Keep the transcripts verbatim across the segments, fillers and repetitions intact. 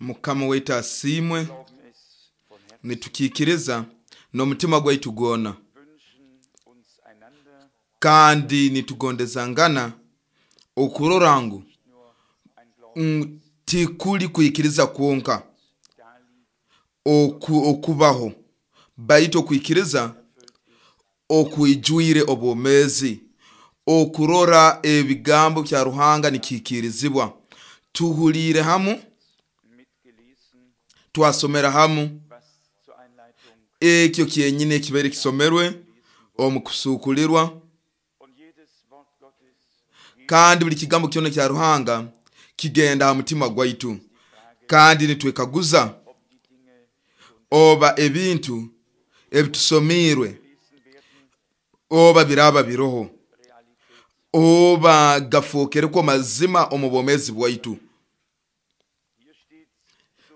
Mukama waitu asiimwe. Nitukiikiriza n'omutima gwaitu gwona, kandi nitugondezangana okurora ngu tikuli kwikiriza kwonka oku, okubaho, baitu okwikiriza okwijwire obwomeezi, okurora ebigambo bya Ruhanga nikihikiirizibwa. Tuhuliire hamu, twasomera hamu ekyo kyenyini ekibaire kisomerwe omu kusuukulirwa, kandi buli kigambo kyona kya Ruhanga kigenda ha mutima gwaitu, kandi nitwekaguza oba ebintu ebitusomiirwe oba biraaba biroho, oba gafookerekwo mazima omu bwomeezi bwaitu.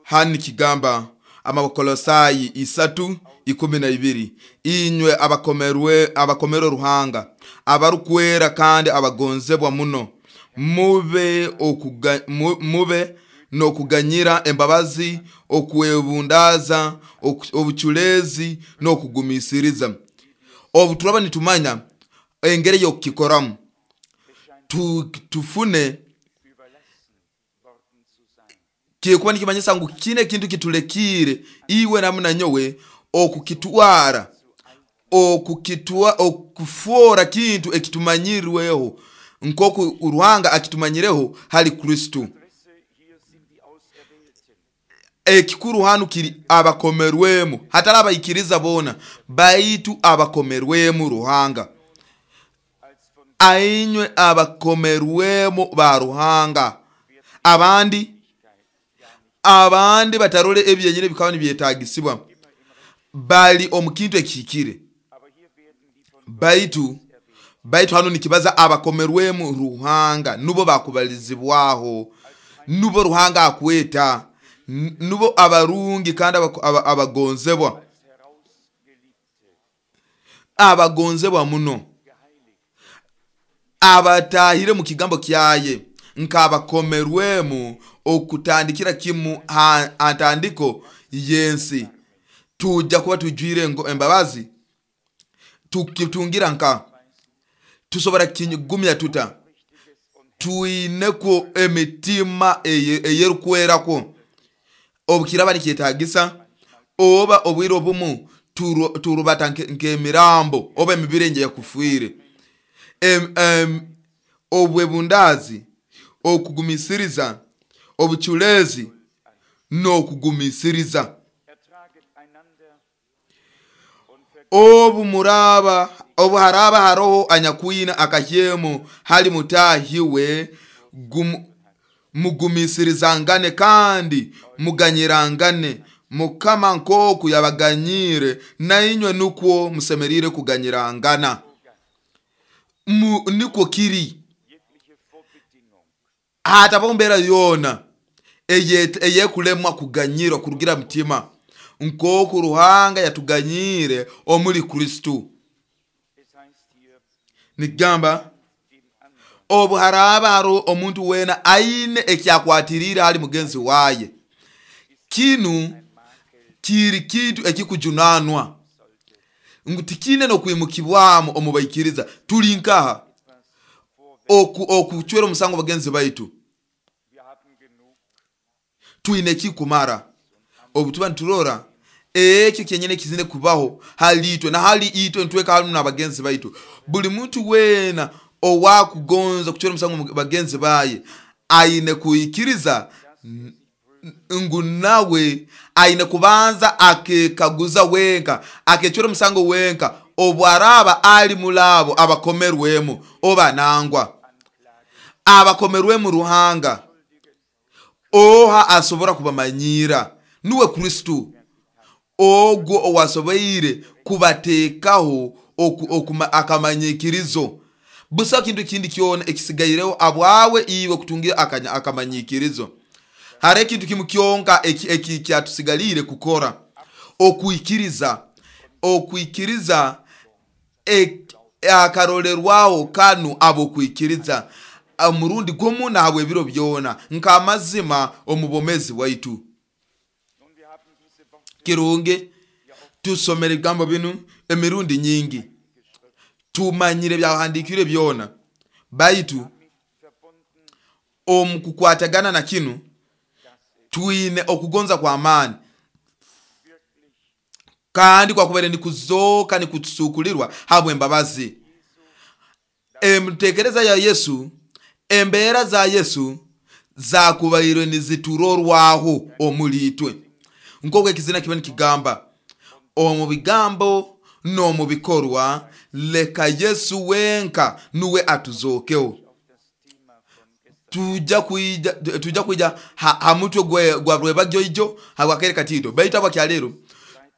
Hanu nikigamba Amakolosaayi isatu ikumi na ibiri, inywe abakomerwe abakomerwe Ruhanga, abarukwera kandi abagonzebwa muno, mube okuga, mube n'okuganyira, embabazi, okwebundaaza, obuculeezi n'okugumiisiriza. Obu turaba nitumanya engeri y'okukikoramu, tufune kikuba nikimanyisa ngu kine ekintu kitulekiire iwe namu nanyowe okukitwara, okukitwa okufoora kintu ekitumanyirweho nk'oku Ruhanga akitumanyireho hali Kristo. Ekikuru hanu kiri abakomerwemu, hatali abaikiriza boona, baitu abakomerwemu Ruhanga. Ainywe abakomerwemu ba Ruhanga. Abandi abandi batarole ebyenyini bikaba nibyetagisibwa, bali omu kintu ekihikire, baitu baitu hanu nikibaza abakomerwemu Ruhanga, nubo bakubalizibwaho, nubo Ruhanga akweta, nubo abarungi kandi abagonzebwa, abagonzebwa muno, abatahire mu kigambo kyaye nk'abakomerwemu okutandikira kimu ha ntandiko y'ensi. Tujja kuba tujwire embabazi, tukitungira nka tusobora kigumya tuta twinekwo emitima eyerukwerakwo. Obukiraba nikyetagisa, oba obwire obumu turubata nk'emirambo oba emibiri enyakufiire. Obwebundaazi, okugumiisiriza, obuculeezi n'okugumiisiriza. Obu muraba obu haraba haroho anyakwina akahyemo hali mutahi we, mugumiisirizangane kandi muganyirangane, Mukama nk'oku yabaganyire nainywe nukwo musemeriire kuganyirangana. Nikwo kiri, hatabaho mbeera yoona eyekulemwa kuganyirwa kurugira mutima nk'oku Ruhanga yatuganyiire omuli Kristo. Nikigamba obu haraaba haroho omuntu weena aine ekyakwatiriire hali mugenzi waye, kinu kiri kintu ekikujunanwa ngu tikine n'okwimukibwamu omu baikiriza. Tuli nkaha okucwera omusango bagenzi baitu? Twine ekikumara. Obu tuba niturora ekyo kyenyini ekizine kubaho hali itwe na hali itwe ntweka hamu n'abagenzi baitu. Buli muntu weena owakugonza kucwera omusango bagenzi baye aine kwikiriza ngu nawe aine kubanza akekaguza wenka, akecwera omusango wenka obu araba ali mulaabo abakomerwemu oba nangwa. Abakomerwemu Ruhanga oha asobora kubamanyira? Nuwe Kristo, ogwo owasoboire kubateekaho akamanyikirizo. Busaho kintu kindi kyona ekisigaireho abwawe iwe kutungira akamanyikirizo. Hariho ekintu kimu kyonka ekyatusigaliire kukora, okwikiriza. Okwikiriza akarolerwaho kanu abokwikiriza. omurundi gumu nahabw'ebiro byona nk'amazima omu bwomezi bwaitu. Kirungi tusomere ebigambo binu emirundi nyingi, tumanyire byahandiikirwe byona, baitu omu kukwatagana na kinu twine okugonza kw'amaani kandi kwakubaire nikuzooka nikutusukulirwa habw'embabazi. Entekereza ya Yesu, embeera za Yesu zakubairwe niziturorwaho omuli itwe, nk'oku ekizina kiba nikigamba omu bigambo n'omu bikorwa, leka Yesu wenka nuwe atuzookeho. Tujja kwija tujja kwija ha, ha mutwe gwe gwa rwebagyo ijo habwakaire katiito, baitu abwakyaleero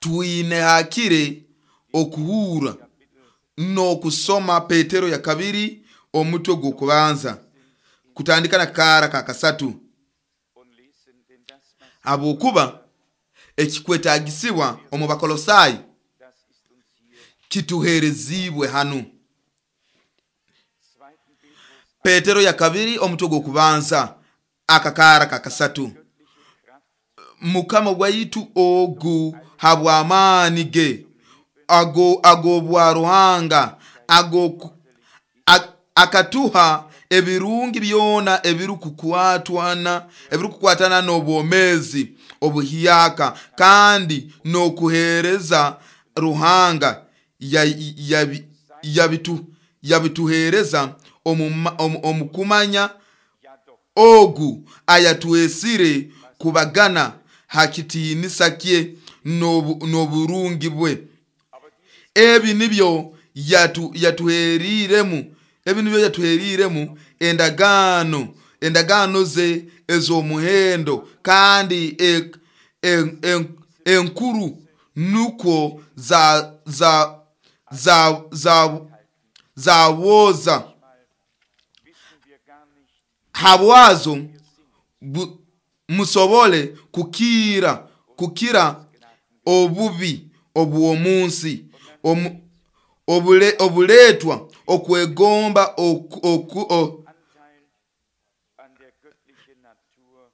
twine hakire okuhurra n'okusoma Petero ya kabiri omutwe gw'okubanza kutandika na kaara ka kasatu, habwokuba ekikwetagisibwa omu Bakolosai kituheerezibwe hanu. Petero ya kabiri omutwe gw'okubanza akakaara ka kasatu, Mukama waitu ogu habw'amaani ge ago ag'obwa Ruhanga ago akatuha ebirungi byona ebirukukwatana ebirukukwatana n'obwomeezi obuhyaka kandi n'okuheereza Ruhanga yabituheereza omu kumanya ogu ayatwesire kubagana ha kitiinisa kye n'oburungi bwe. Ebi nibyo yatuheeriremu ebi nibyo yatuheeriremu endagaano endagaano ze ez'omuhendo kandi enkuru, nukwo za za za za zabwoza habwazo musobole kukira kukira obubi obw'omunsi obuletwa okwegomba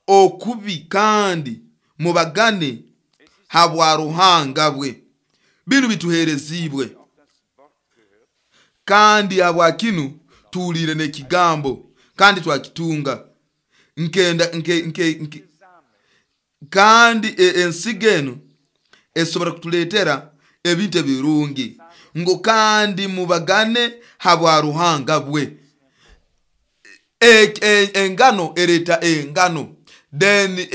okubi, kandi mubagane habwa Ruhanga bwe. Binu bituheerezibwe, kandi habwa kinu tuhuliire n'ekigambo kandi twakitunga nkenda nke, nke, nke, kandi ensigo enu esobora kutuleetera ebintu ebirungi, ngu kandi mubagane habwa Ruhanga bwe. Engano ereeta engano, then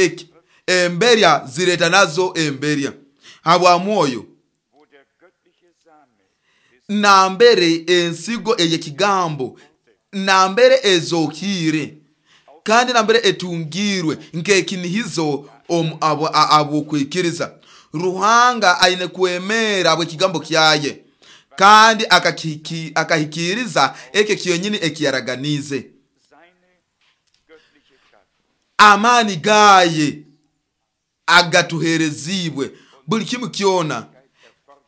emberya zireeta nazo emberya habwa mwoyo. Nambere ensigo ey'ekigambo nambere ezokiire kandi nambere etungirwe nk'ekinihizo abw'okwikiriza, Ruhanga aine kwemera habw'ekigambo kyaye kandi akahikiriza ekyo kyonyini ekiyaraganiize. Amaani gaye agatuheerezibwe buli kimu kyona,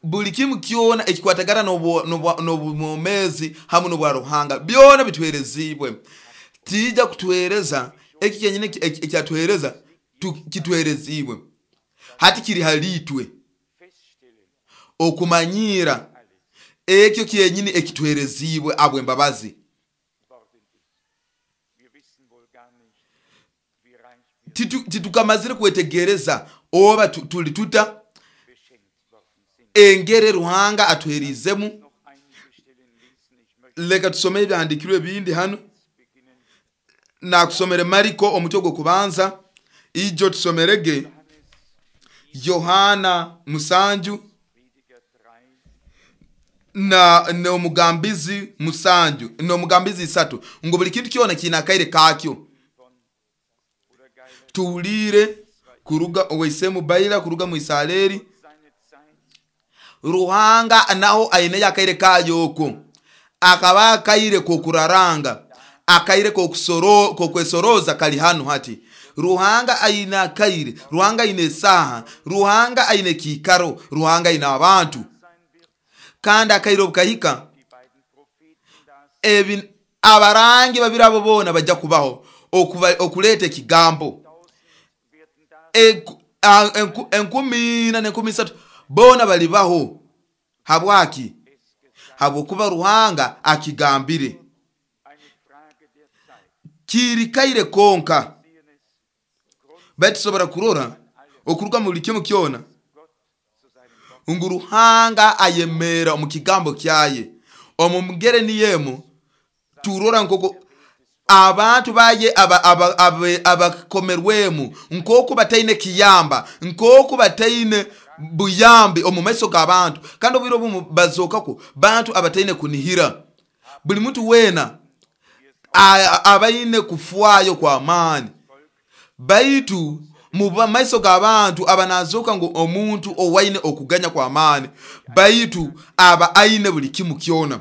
buli kimu kyona ekikwatagana n'obwomeezi hamu n'obwa Ruhanga byona bituheerezibwe. Tija kutuheereza eki kyenyini ekyatuheereza kituheerezibwe, hati kiri haliitwe okumanyira ekyo kyenyini ekituheerezibwe habw'embabazi. Titukamazire kwetegereza oba tuli tuta engere Ruhanga atuheerizemu. Leka tusome ebyahandiikirwe ebindi hanu. Nakusomere Mariko omutwe gw'okubanza, ijo tusomerege Yohana musanju na n'omugambizi musanju n'omugambizi isatu, ngu buli kintu kyona kiine akaire kakyo. Tuhuliire kuruga owaisemu Baira kuruga mu Isareri, Ruhanga naho aineyo akaire kayo okwo, akaba akaire k'okuraranga, akaire k'okwesoroza kali hanu hati. Ruhanga aine akaire, Ruhanga aine esaaha, Ruhanga aine ekiikaro, Ruhanga aine abantu, kandi akaire obukahika ebi Abarangi babiri abo boona bajja kubaho okuleeta ekigambo. Enkumi ina n'enkumi isatu boona balibaho. Habwaki? Habwokuba Ruhanga akigambire. Kirikaire konka baitu tusobora kurora okuruga mu buli kimu kyona ngu Ruhanga ayemera omu kigambo kyaye. Omu mugere niyemu turora nkoko abantu baye abakomerwemu nkoku bataine kiyamba, nkoku bataine buyambi omu maiso g'abantu, kandi obwire obumu bazokako bantu abataine kunihira. Buli muntu weena abaine kufwayo kwa maani, baitu mu maiso g'abantu abanazoka ngu omuntu owaine okuganya kwa maani, baitu aba aine buli kimu kyona.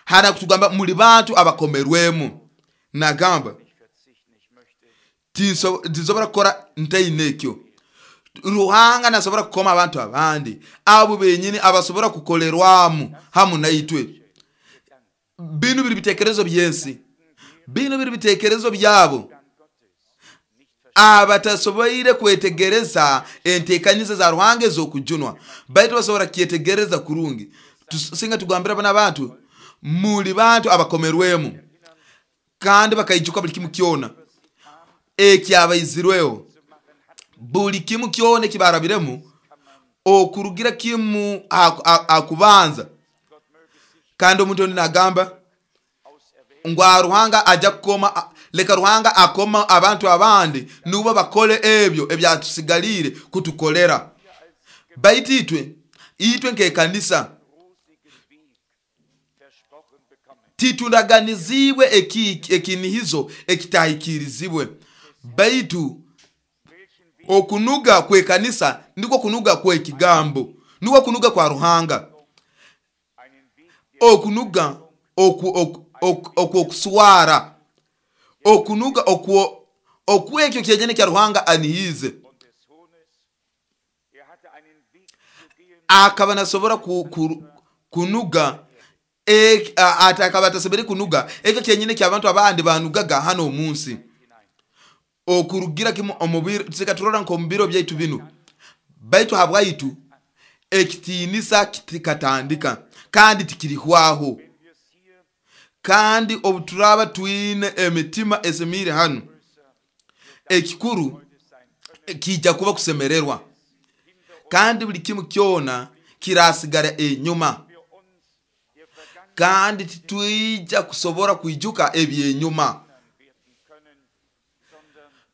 Hana kutugamba muli bantu abakomerwemu. Nagamba tinsobora kukora ntaine ekyo. Ruhanga nasobora kukoma abantu abandi abo benyini abasobora kukolerwamu hamu naitwe. Binu biri bitekerezo byensi, binu biri bitekerezo byabo abatasoboire kwetegereza entekaniza za Ruhanga ez'okujunwa, baitu basobora kyetegereza kurungi. Singa tugambira bana abantu muli bantu abakomerwemu, kandi bakaijuka buli kimu kyona ekyabaizirweho, buli kimu kyona ekibarabiremu okurugira kimu akubanza. Kandi omuntu ondi nagamba ngu Ruhanga ajja kukoma, leka Ruhanga akoma abantu abandi nubo bakole ebyo ebyatusigalire kutukolera. Baitu itwe itwe nk'ekanisa tituraganizibwe ekinihizo ekitahikirizibwe, baitu okunuga kw'ekanisa ndiko kunuga kw'ekigambo, niko kunuga kwa Ruhanga, okunuga okwokuswara, okunuga okwekyo kyenyene kya Ruhanga anihize. Akaba nasobora kunuga, akaba atasobora kunuga ekyo kyenyine ky'abantu abandi banugaga hano omunsi. Okurugira kimu omubiro tusika turora nko mubiro byaitu binu, baitu habwaitu ekitiinisa kitikatandika kandi tikirihwaho. Kandi obuturaba twine emitima esemiire hanu, ekikuru kijja kuba kusemererwa, kandi buli kimu kyona kirasigara enyuma, kandi titwija kusobora kwijuka ebyenyuma,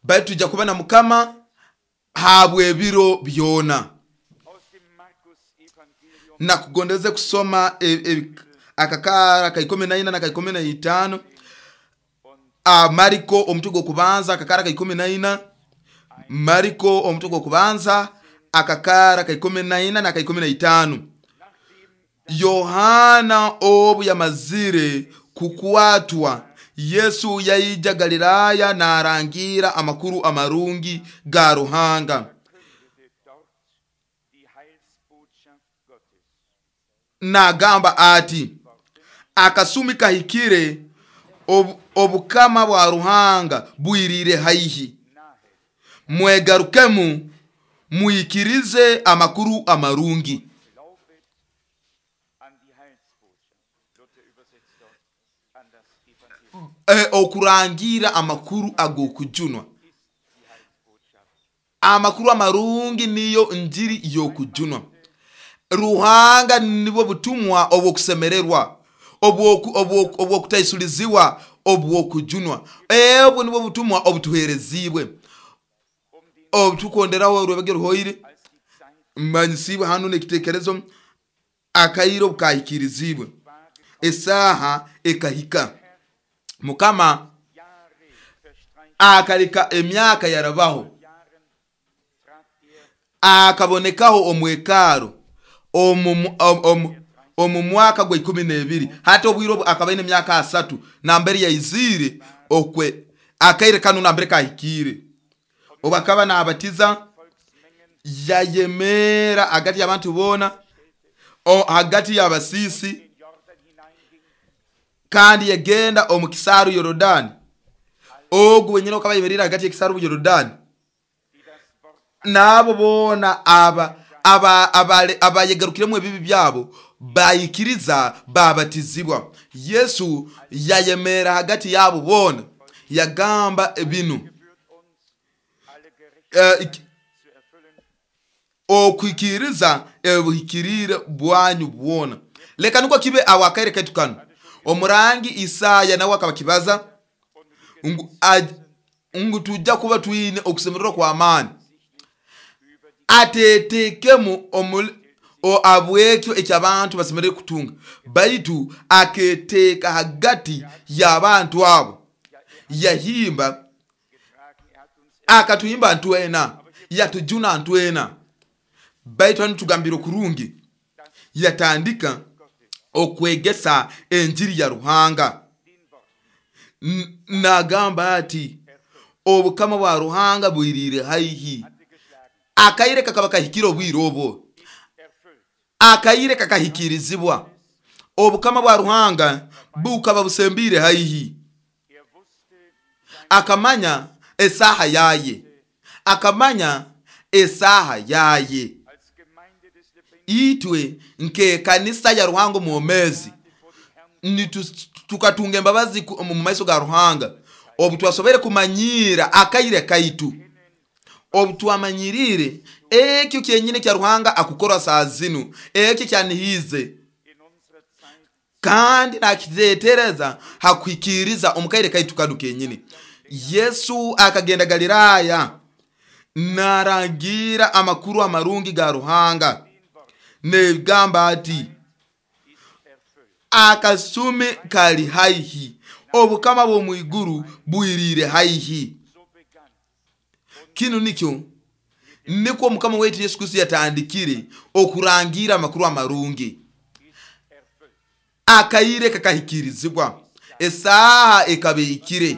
baitu tujja kuba na Mukama habw'ebiro byona. Nakugondeze kusoma e, e, akakara ka ikumi na ina na ka ikumi na itaano. Mariko omutwe gw'okubanza akakara ka ikumi na ina, Mariko omutwe gw'okubanza akakara ka ikumi na ina na ka ikumi na itaano. Yohana obu yamazire kukwatwa, Yesu yaija Galilaya narangira amakuru amarungi ga Ruhanga. Nagamba ati, akasumi kahikire, obukama bwa Ruhanga bwirire haihi, mwegarukemu muikirize amakuru amarungi. E, okurangira amakuru ag'okujunwa. Amakuru amarungi niyo njiri y'okujunwa. Ruhanga nibwo butumwa obw'okusemererwa, obw'okutaisuliziwa, obw'okujunwa. Ebwo nibwo butumwa obutuherezibwe obutukonderaho orwebage ruhoire manyisibwe hano n'ekitekerezo akairo bukahikirizibwe, esaha ekahika. Mukama akaleka emyaka yarabaho, akabonekaho omwekaro omu mwaka gwa ikumi n'ebiri. Hati obwire obu akaba aine emyaka asatu nambere yaizire okwe akaire kanu nambere kahikire. Obu akaba nabatiza yayemera hagati y'abantu boona, hagati y'abasiisi, Kandi yagenda omu kisaaru Yorodani, ogu wenyine okaba ayemerire hagati y'ekisaaru Yorodani, n'abo boona aba aba abayegarukiremu ebibi byabo bayikiriza babatizibwa. Yesu yayemera hagati yabo boona yagamba binu, okwikiriza ebuhikirire bwanyu bwona. Leka nukwo kibe awo akaire kaitu kanu. Omurangi Isaya nawe akabakibaza ngu, ngu tujja kuba twine okusemererwa kwa amaani, atetekemu abwekyo ekyabantu basemerere kutunga, baitu aketeka hagati y'abantu abo, yahimba akatuhimba ntwena, yatujuna ntwena. Baitu hanu tugambire okurungi, yatandika okwegesa enjiri ya Ruhanga, nagamba ati obukama bwa Ruhanga bwirire haihi. Akaire kakaba kahikire obwire obwo, akaire kakahikirizibwa, obukama bwa Ruhanga bukaba busembire haihi. Akamanya esaha yaye, akamanya esaha yaye. Itwe nke kanisa ya Ruhanga omwomezi tukatunga embabazi mu maiso ga Ruhanga obu twasobere kumanyira akaire kaitu, obu twamanyirire ekyo kyenyine kya Ruhanga akukora saa zinu, ekyo kyanihize kandi nakitetereza hakuhikiriza omukaire kaitu kanu kenyine. Yesu akagenda Galilaya narangira amakuru amarungi ga Ruhanga, negamba ati akasumi kali haihi, obukama bw'omwiguru bwirire haihi. Kinu nikyo nikwo Mukama wetu Yesu Kristo yatandikire okurangira amakuru amarungi. Akaire kakahikirizibwa, esaha ekabehikire.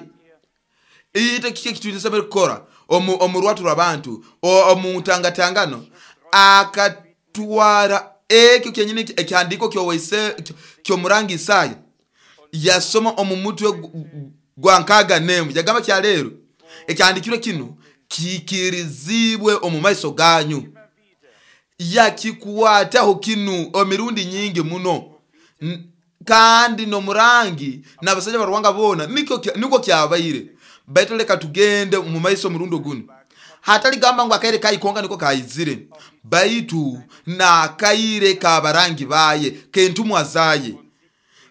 Ite kike kitulisa kukora omu rwatu rw'abantu omu ntangatangano, akatwara ekyo kyenyine ekihandiko kyowaise kyomurangi Isaya, yasoma omu mutwe gwa nkaga nemu, yagamba kya lero ekihandikirwe kinu kikirizibwe omu maiso ganyu. Yakikwataho kinu emirundi nyingi muno, kandi nomurangi n'abasajja ba Ruhanga bona niko niko kyabaire. Baitu leka tugende mu maiso murundo gunu, hatali gamba ngu akaire kayikonga niko kayizire, baitu nakaire kabarangi baye kentumwa zaye.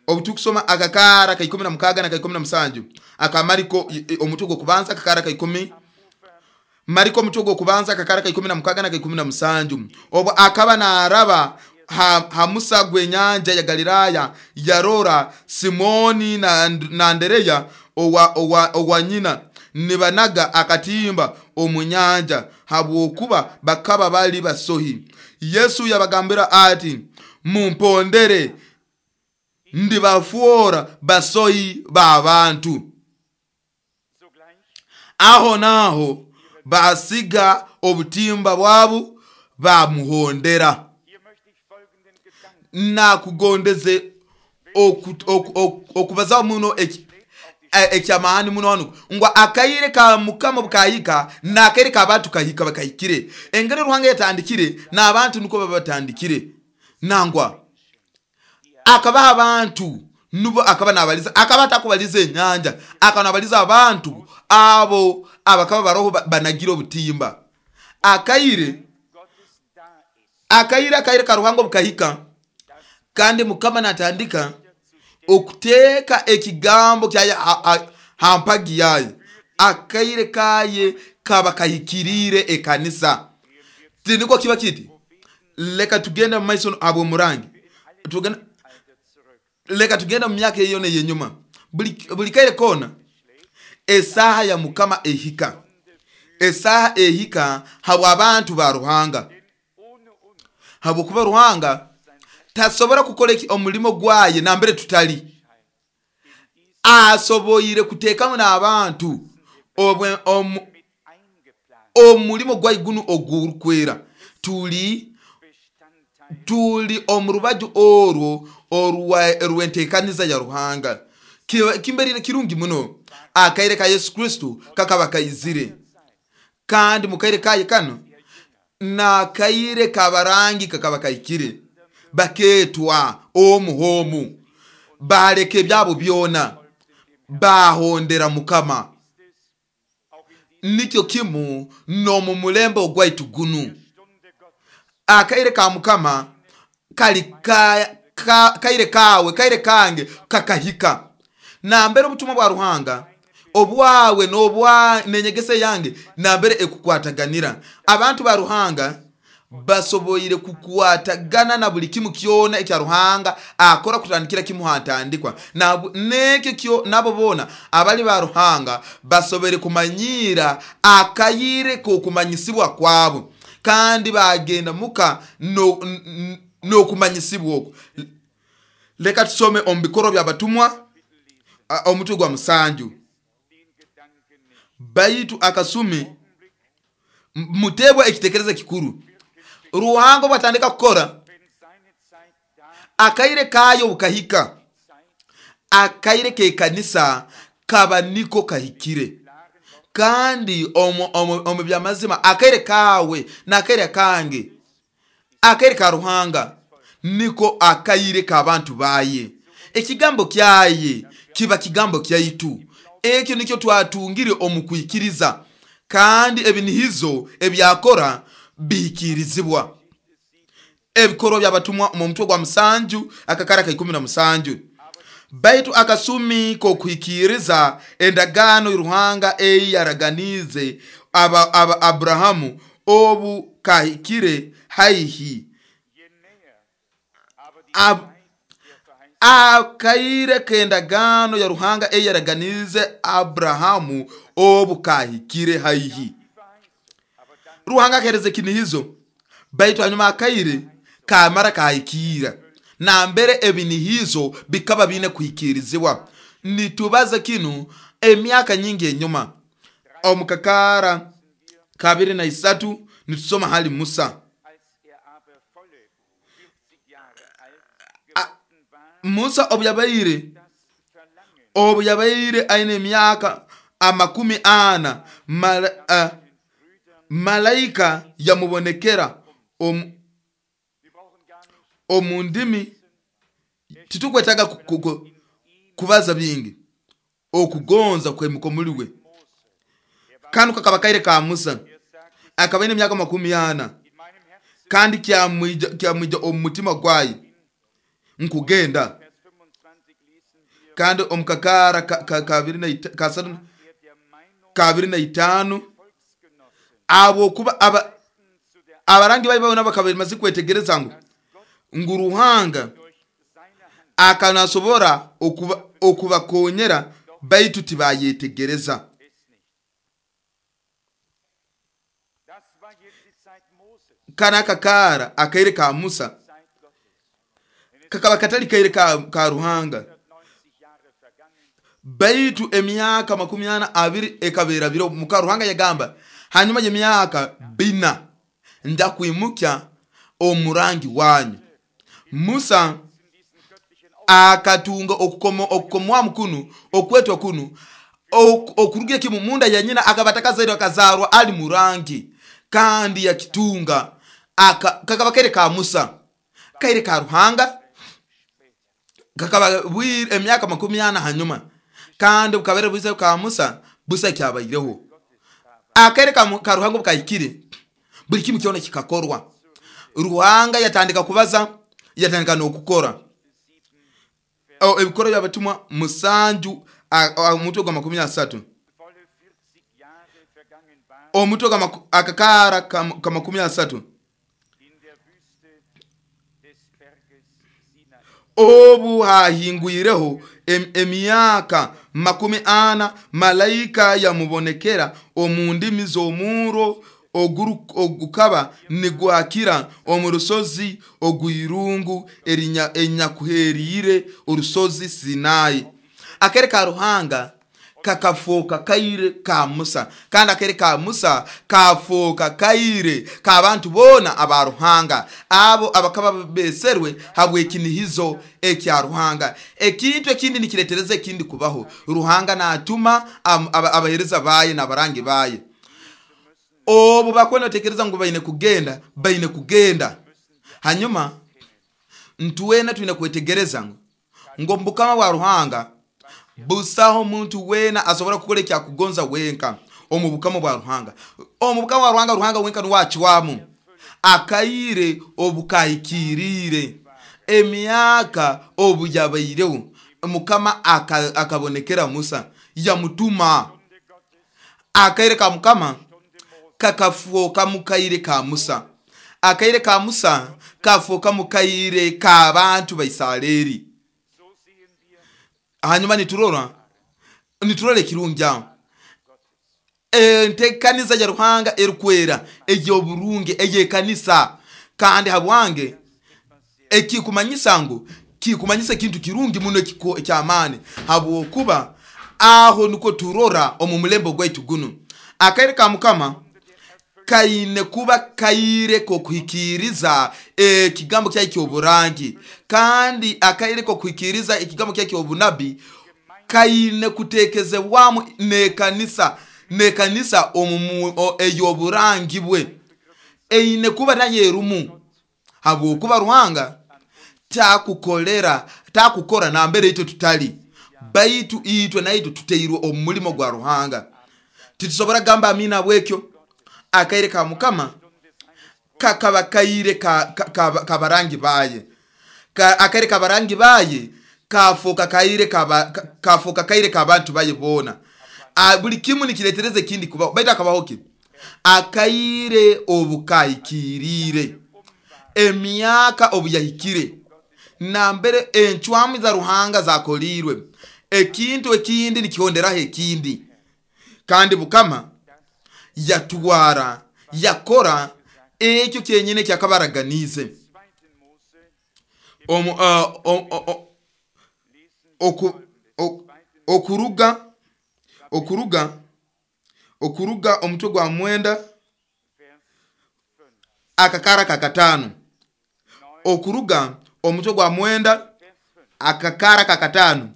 Obu tukusoma akakara ka ikumi na mukaga na ka ikumi na musanju aka Mariko omutwe gwo kubanza akakara ka ikumi, Mariko omutwe gwo kubanza akakara ka ikumi na mukaga na ka ikumi na musanju. Obu akaba naraba ha, ha musa gwenyanja ya Galilaya, yarora Simoni na, na Andereya owa, owa, owa nyina nibanaga akatimba omunyanja, habwokuba bakaba bali basohi. Yesu yabagambira ati mumpondere, ndibafuora basohi b'abantu. Aho naho basiga obutimba bwabu bamuhondera. Nakugondeze okubazaho muno ekyamahani muno hano ngo akaire ka Mukama bukahika n'akaire k'abantu kahika bakahikire. Engeri Ruhanga yatandikire n'abantu nuko babatandikire. Nangwa akabaha abantu nubo akaba nabaliza, akaba atakubaliza enyanja, akaba nabaliza abantu abo abakaba baroho banagira obutimba. Akaire akaire akaire ka Ruhanga bukahika, kandi Mukama natandika okuteka ekigambo kyaye hampagi yaye. Akaire kaye kaba kahikirire ekanisa. Tiniko kiba kiti leka tugenda mu maiso abo murangi, tugenda leka tugenda mu myaka eyo neyenyuma. Buli buli kaire kona esaha ya Mukama ehika, esaha ehika habwa abantu ba Ruhanga, habwokuba Ruhanga tasobora kukora omulimo gwaye nambere tutali. Asoboire kutekamu n'abantu omulimo gwaye guno ogurukwera. Tuli tuli omu rubaju orwo orw'entekaniza ya Ruhanga. Kimberire kirungi muno. Akaire ka Yesu Kristo kakaba kaizire, kandi mukaire kaye kano nakaire kabarangi kakaba kaikire. Baketwa omu homu, baleka ebyabo byona bahondera Mukama. Nikyo kimu n'omu mulembe ogwaitu gunu. Akaire ka Mukama kali ka, ka, kaire kawe kaire kange kakahika. Nambere obutumwa bwa Ruhanga obwawe n'obwa nenyegese yange nambere ekukwataganira. Abantu ba Ruhanga basoboire kukwatagana na buli kimu kyona ekya Ruhanga akora kutandikira kimu hantandikwa. Nekyo kyo nabo bona abali ba Ruhanga basobere kumanyira akayire k'okumanyisibwa kwabo, kandi bagenda muka n'okumanyisibwa okwo. Leka tusome omu bikoro by'abatumwa omutwe gwa musanju. Baitu akasumi mutebwa ekitekerezo kikuru. Ruhanga bwatandika kukora, akaire kayo bukahika. Akaire k'ekanisa kaba niko kahikire. Kandi omu, omu, omu byamazima akaire kawe n'akaire kange, akaire ka Ruhanga niko akaire k'abantu baye. Ekigambo kyaye kiba kigambo kyaitu. Ekyo nikyo twatungire omu kwikiriza, kandi ebinihizo ebyakora bihikirizibwa. Ebikorwa by'abatumwa mu mutwe gwa musanju akakara ka ikumi na musanju. Baitu akasumi k'okuhikiriza endagaano Ruhanga ei yaraganize aba, aba Abrahamu obu kahikire haihi. Ab, akaire k'endagaano ya Ruhanga ei yaraganize Abrahamu obu kahikire haihi. Ruhanga akereza ekinihizo, baitu hanyuma akaire kamara kahikira. Nambere ebinihizo bikaba bine kuhikirizibwa. Nitubaza kinu emyaka nyingi enyuma. Omukakara kabiri na isatu nitusoma hali Musa. A, Musa obu yabaire obu yabaire aine emyaka amakumi ana, mala, uh, malaika yamubonekera omu omu ndimi. Titukwetaga kubaza bingi okugonza kwemuko muliwe. Kanu kakaba kaire ka Musa akaba aine emyaka makumi ana, kandi kyamwija kyamwija omu mutima gwaye nkugenda. Kandi omukakara kabiri na kasatu kabiri na itano abo kuba aba abarangi bayi babona bakaba bamaze kwetegereza ngu ngu Ruhanga akanasobora okuba okubakonyera, baitu tibayetegereza. Kana akakara akaire ka Musa kakaba katali kaire ka, ka Ruhanga, baitu emyaka makumi ana abiri ekabera biro. Muka Ruhanga yagamba hanyuma y'emyaka bina nja kwimukya omurangi wanyu. Musa akatunga okukomo okukomwa kunu okwetwa kunu okurugira kimu munda ya nyina akaba atakazairwe akazarwa ali murangi, kandi yakitunga aka kakaba kaire ka Musa kaire ka Ruhanga kakaba bwire emyaka makumi ana hanyuma, kandi bukabere bwize ka Musa busa kyabaireho. Akaire ka, ka Ruhanga bukahikire, buli kimu kyona kikakorwa. Ruhanga yatandika kubaza, yatandika n'okukora. Ebikoro by'abatumwa musanju omutwe gwa makumi asatu, omutwe gwa akakara ka makumi asatu. Obu hahingwireho em, emyaka makumi ana, malaika yamubonekera omu ndimi z'omuro ogukaba nigwakira omu rusozi ogw'irungu erinyakuheriire orusozi Sinai. Akere ka Ruhanga kakafoka kaire ka Musa, kandi akaire ka Musa kafoka kaire k'abantu boona aba Ruhanga, abo abakaba beserwe habw'ekinihizo ekya Ruhanga. Ekintu ekindi nikiretereza ekindi kubaho. Ruhanga natuma abahereza baye n'abarangi baye. Obu bakuba nibatekereza ngu baine kugenda, baine kugenda. Hanyuma ntuwena twine kwetegereza ngu ngo omu bukama bwa Ruhanga busaho omuntu weena asobora kukora ekyakugonza wenka. Omu bukama bwa Ruhanga, omu bukama bwa Ruhanga, Ruhanga wenka nuwe acwamu. Akaire obukahikiriire, emyaka obu yabaireho, Mukama akabonekera Musa yamutuma. Akaire ka Mukama kakafoka mukaire ka Musa, akaire ka Musa kafoka mukaire k'abantu ba Isareri. Hanyuma niturora niturora ekirungi aho, enteekaniza ya Ruhanga erukwera ey'oburungi ey'ekanisa. Kandi habwange ekikumanyisa ngu kikumanyisa ekintu kirungi muno eky'amaani, habwokuba aho nukwo turora omu mulembe gwaitu gunu. Akaire ka Mukama kaine kuba kaire k'okuhikiriza ekigambo kyaye ky'oburangi, kandi akaire k'okuhikiriza ekigambo kyaye ky'obunabi kaine kutekezebwamu n'ekanisa, n'ekanisa ey'oburangi bwe eine kuba nayo erumu, habwokuba Ruhanga takukolera takukora nambere itwe tutali, baitu itwe naitwe tuteirwe omu mulimo gwa Ruhanga. Titusobora kugamba amina bwekyo. Akaire ka Mukama kakaba kaire kabarangi baye, akaire kabarangi baye kafoka kaire kafoka kaire k'abantu baye boona. Buli kimu nikiretereza ekindi kubaho, baitu akabaho ki? Akaire obukahikiriire, emyaka obuyahikire, nambere encwamu za Ruhanga zakoliirwe, ekintu ekindi nikihonderaho ekindi. Kandi Mukama yatwara yakora ekyo kyenyine kyakabaraganize. Okuruga okuruga okuruga omutwe gwa mwenda akakara kakatano, okuruga omutwe gwa mwenda akakara kakatano,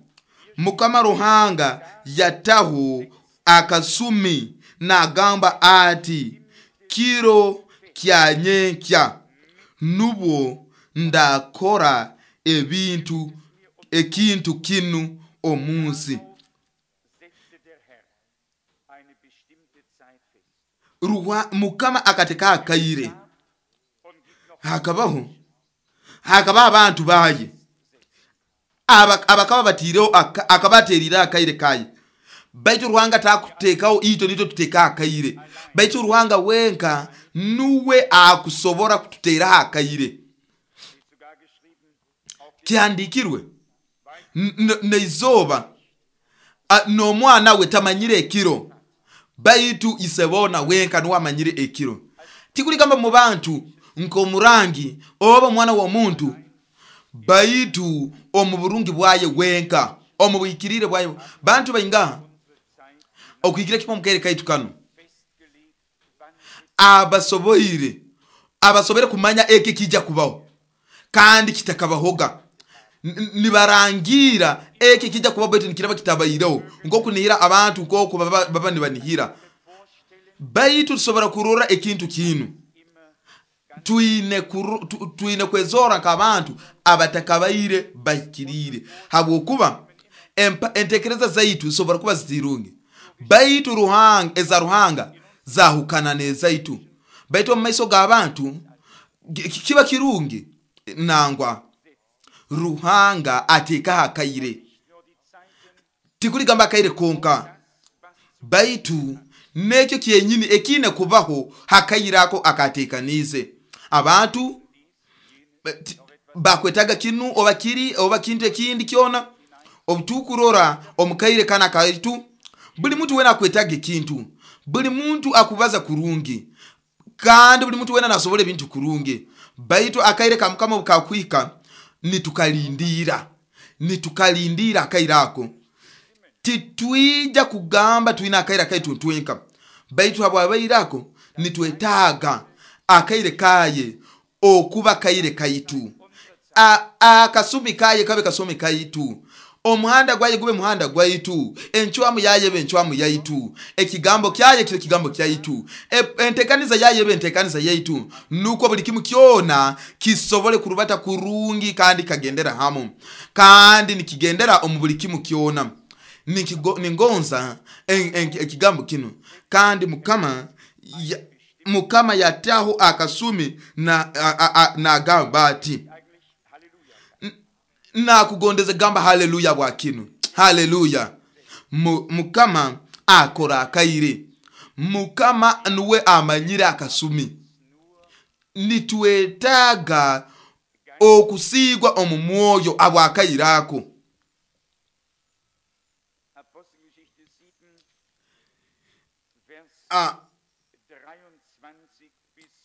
Mukama Ruhanga yataho akasumi nagamba ati, kiro kya nyenkya nubwo ndakora ebintu ekintu kinu omunsi. Mukama akateka akaire, hakabaho hakabaho abantu baye abakaba batiireho, akabaterire akaire kaye. Baitu Ruhanga takutekaho itwe nitwe tuteka akaire, baitu Ruhanga wenka nuwe akusobora kututeraho akaire. Kihandikirwe neizoba n'omwana we tamanyire ekiro, baitu isebona wenka nuwe amanyire ekiro. Tikuligamba mu bantu nk'omurangi oba omwana w'omuntu, baitu omu burungi bwaye wenka, omu buhikirire bwaye. Bantu baingaha okuhikira kipo mukaire kaitu kano abasoboire abasobere kumanya eki kijja kubaho kandi kitakabahoga, nibarangira eki kijja kubaho baitu nikiraba kitabaireho, nkokunihira abantu nk'oku baba, baba nibanihira. Baitu tusobora kurora ekintu kinu, twine twine kwezora nk'abantu abatakabaire bahikiriire, habwokuba entekereza zaitu zisobora kuba zitirungi, baitu Ruhanga eza Ruhanga zahukana n'ezaitu. Baitu omu maiso g'abantu kiba kirungi nangwa Ruhanga atekaho akaire, tikuligamba akaire konka, baitu nekyo kyenyini ekine kubaho hakaire ako akatekanize. Abantu bakwetaga kinu oba kiri oba kintu ekindi kyona. Obutukurora omukaire kana kaitu, buli muntu wena akwetaga ekintu, buli muntu akubaza kurungi, kandi buli muntu wena nasobora ebintu kurungi. Baitu akaire ka Mukama bukakwika nitukalindira, nitukalindira akaire ako. Titwija kugamba twina akaire kaitu ntwenka, baitu habwabairako nitwetaaga akaire kaye okuba kaire kaitu, akasumi kaye kabe kasumi kaitu, omuhanda gwaye gube muhanda gwaitu, enchwamu yaye be enchwamu yaitu, ekigambo kyaye kibe kigambo kyaitu, entekaniza yaye be entekaniza yaitu, nuko buli kimu kyona kisobole kurubata kurungi kandi kagendera hamu, kandi nikigendera omu buli kimu kyona. Ningonza ekigambo kino. Kandi mukama ya, mukama yataho akasumi na nagamba ati nakugondeze gamba haleluya bwa kino. Haleluya. Mukama akora akaire, mukama nuwe amanyire akasumi. Nitwetaaga okusigwa omu mwoyo abwakairako. Ah,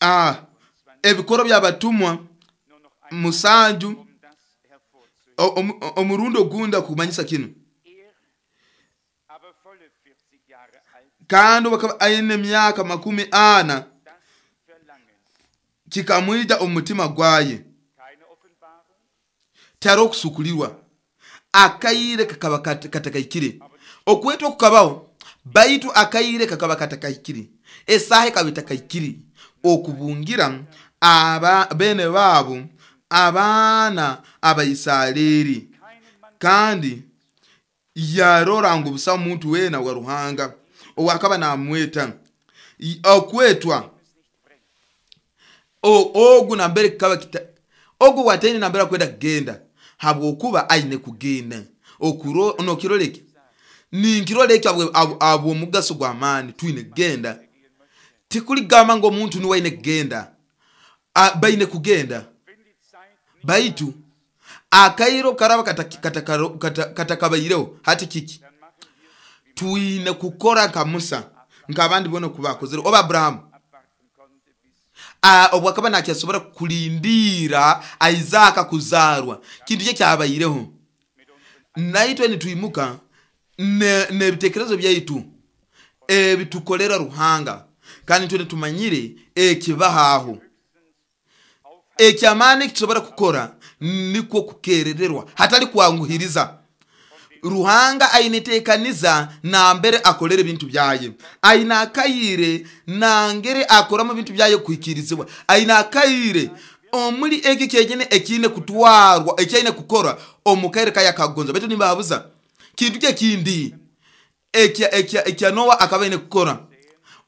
ah, ebikoro by'abatumwa musanju omurundo ogunda kumanyisa kino. Kandi bakaba aine emyaka makumi ana kikamwija omutima gwaye taro okusukulirwa akaire kakaba katakaikire okwetwa kukabaho, baitu akaire kakaba katakaikire, esaha ekaba etakaikire okubungira aba bene babo abaana Abaisareri. Kandi yarora ngu busa omuntu wena wa Ruhanga owakaba namweta okwetwa ogu nambere kikaba kita ogu watene nambere kwenda kugenda habwokuba aine kugenda okuro nokiroleke ninkiroleke abo omugaso gwa amani twine kugenda. Tikuligamba ngo omuntu niwe aine kugenda, baine kugenda, baitu akairo karaba katakabaireho kata, kata hati kiki twine kukora nka Musa nk'abandi bona kubakozere oba Abrahamu obwakaba nakyasobora kulindira Isaka kuzarwa kintu kye kyabaireho. Naitwe nitwimuka n'ebitekerezo byaitu ebitukolera Ruhanga, kandi twe tumanyire ekibahaho ekyamani kitusobora kukora nikwo kukerererwa hatali kwanguhiriza. Ruhanga ainetekaniza nambere akolere bintu byaye, aina akaire nangere akoramo bintu byaye kuhikirizibwa, aina akaire omuli eki kyejene ekine kutwarwa ekyaine kukora omukaire kaya kagonza. Baitu nimbabuza kintu kye kindi ekya ekya ekya Noa akabaine kukora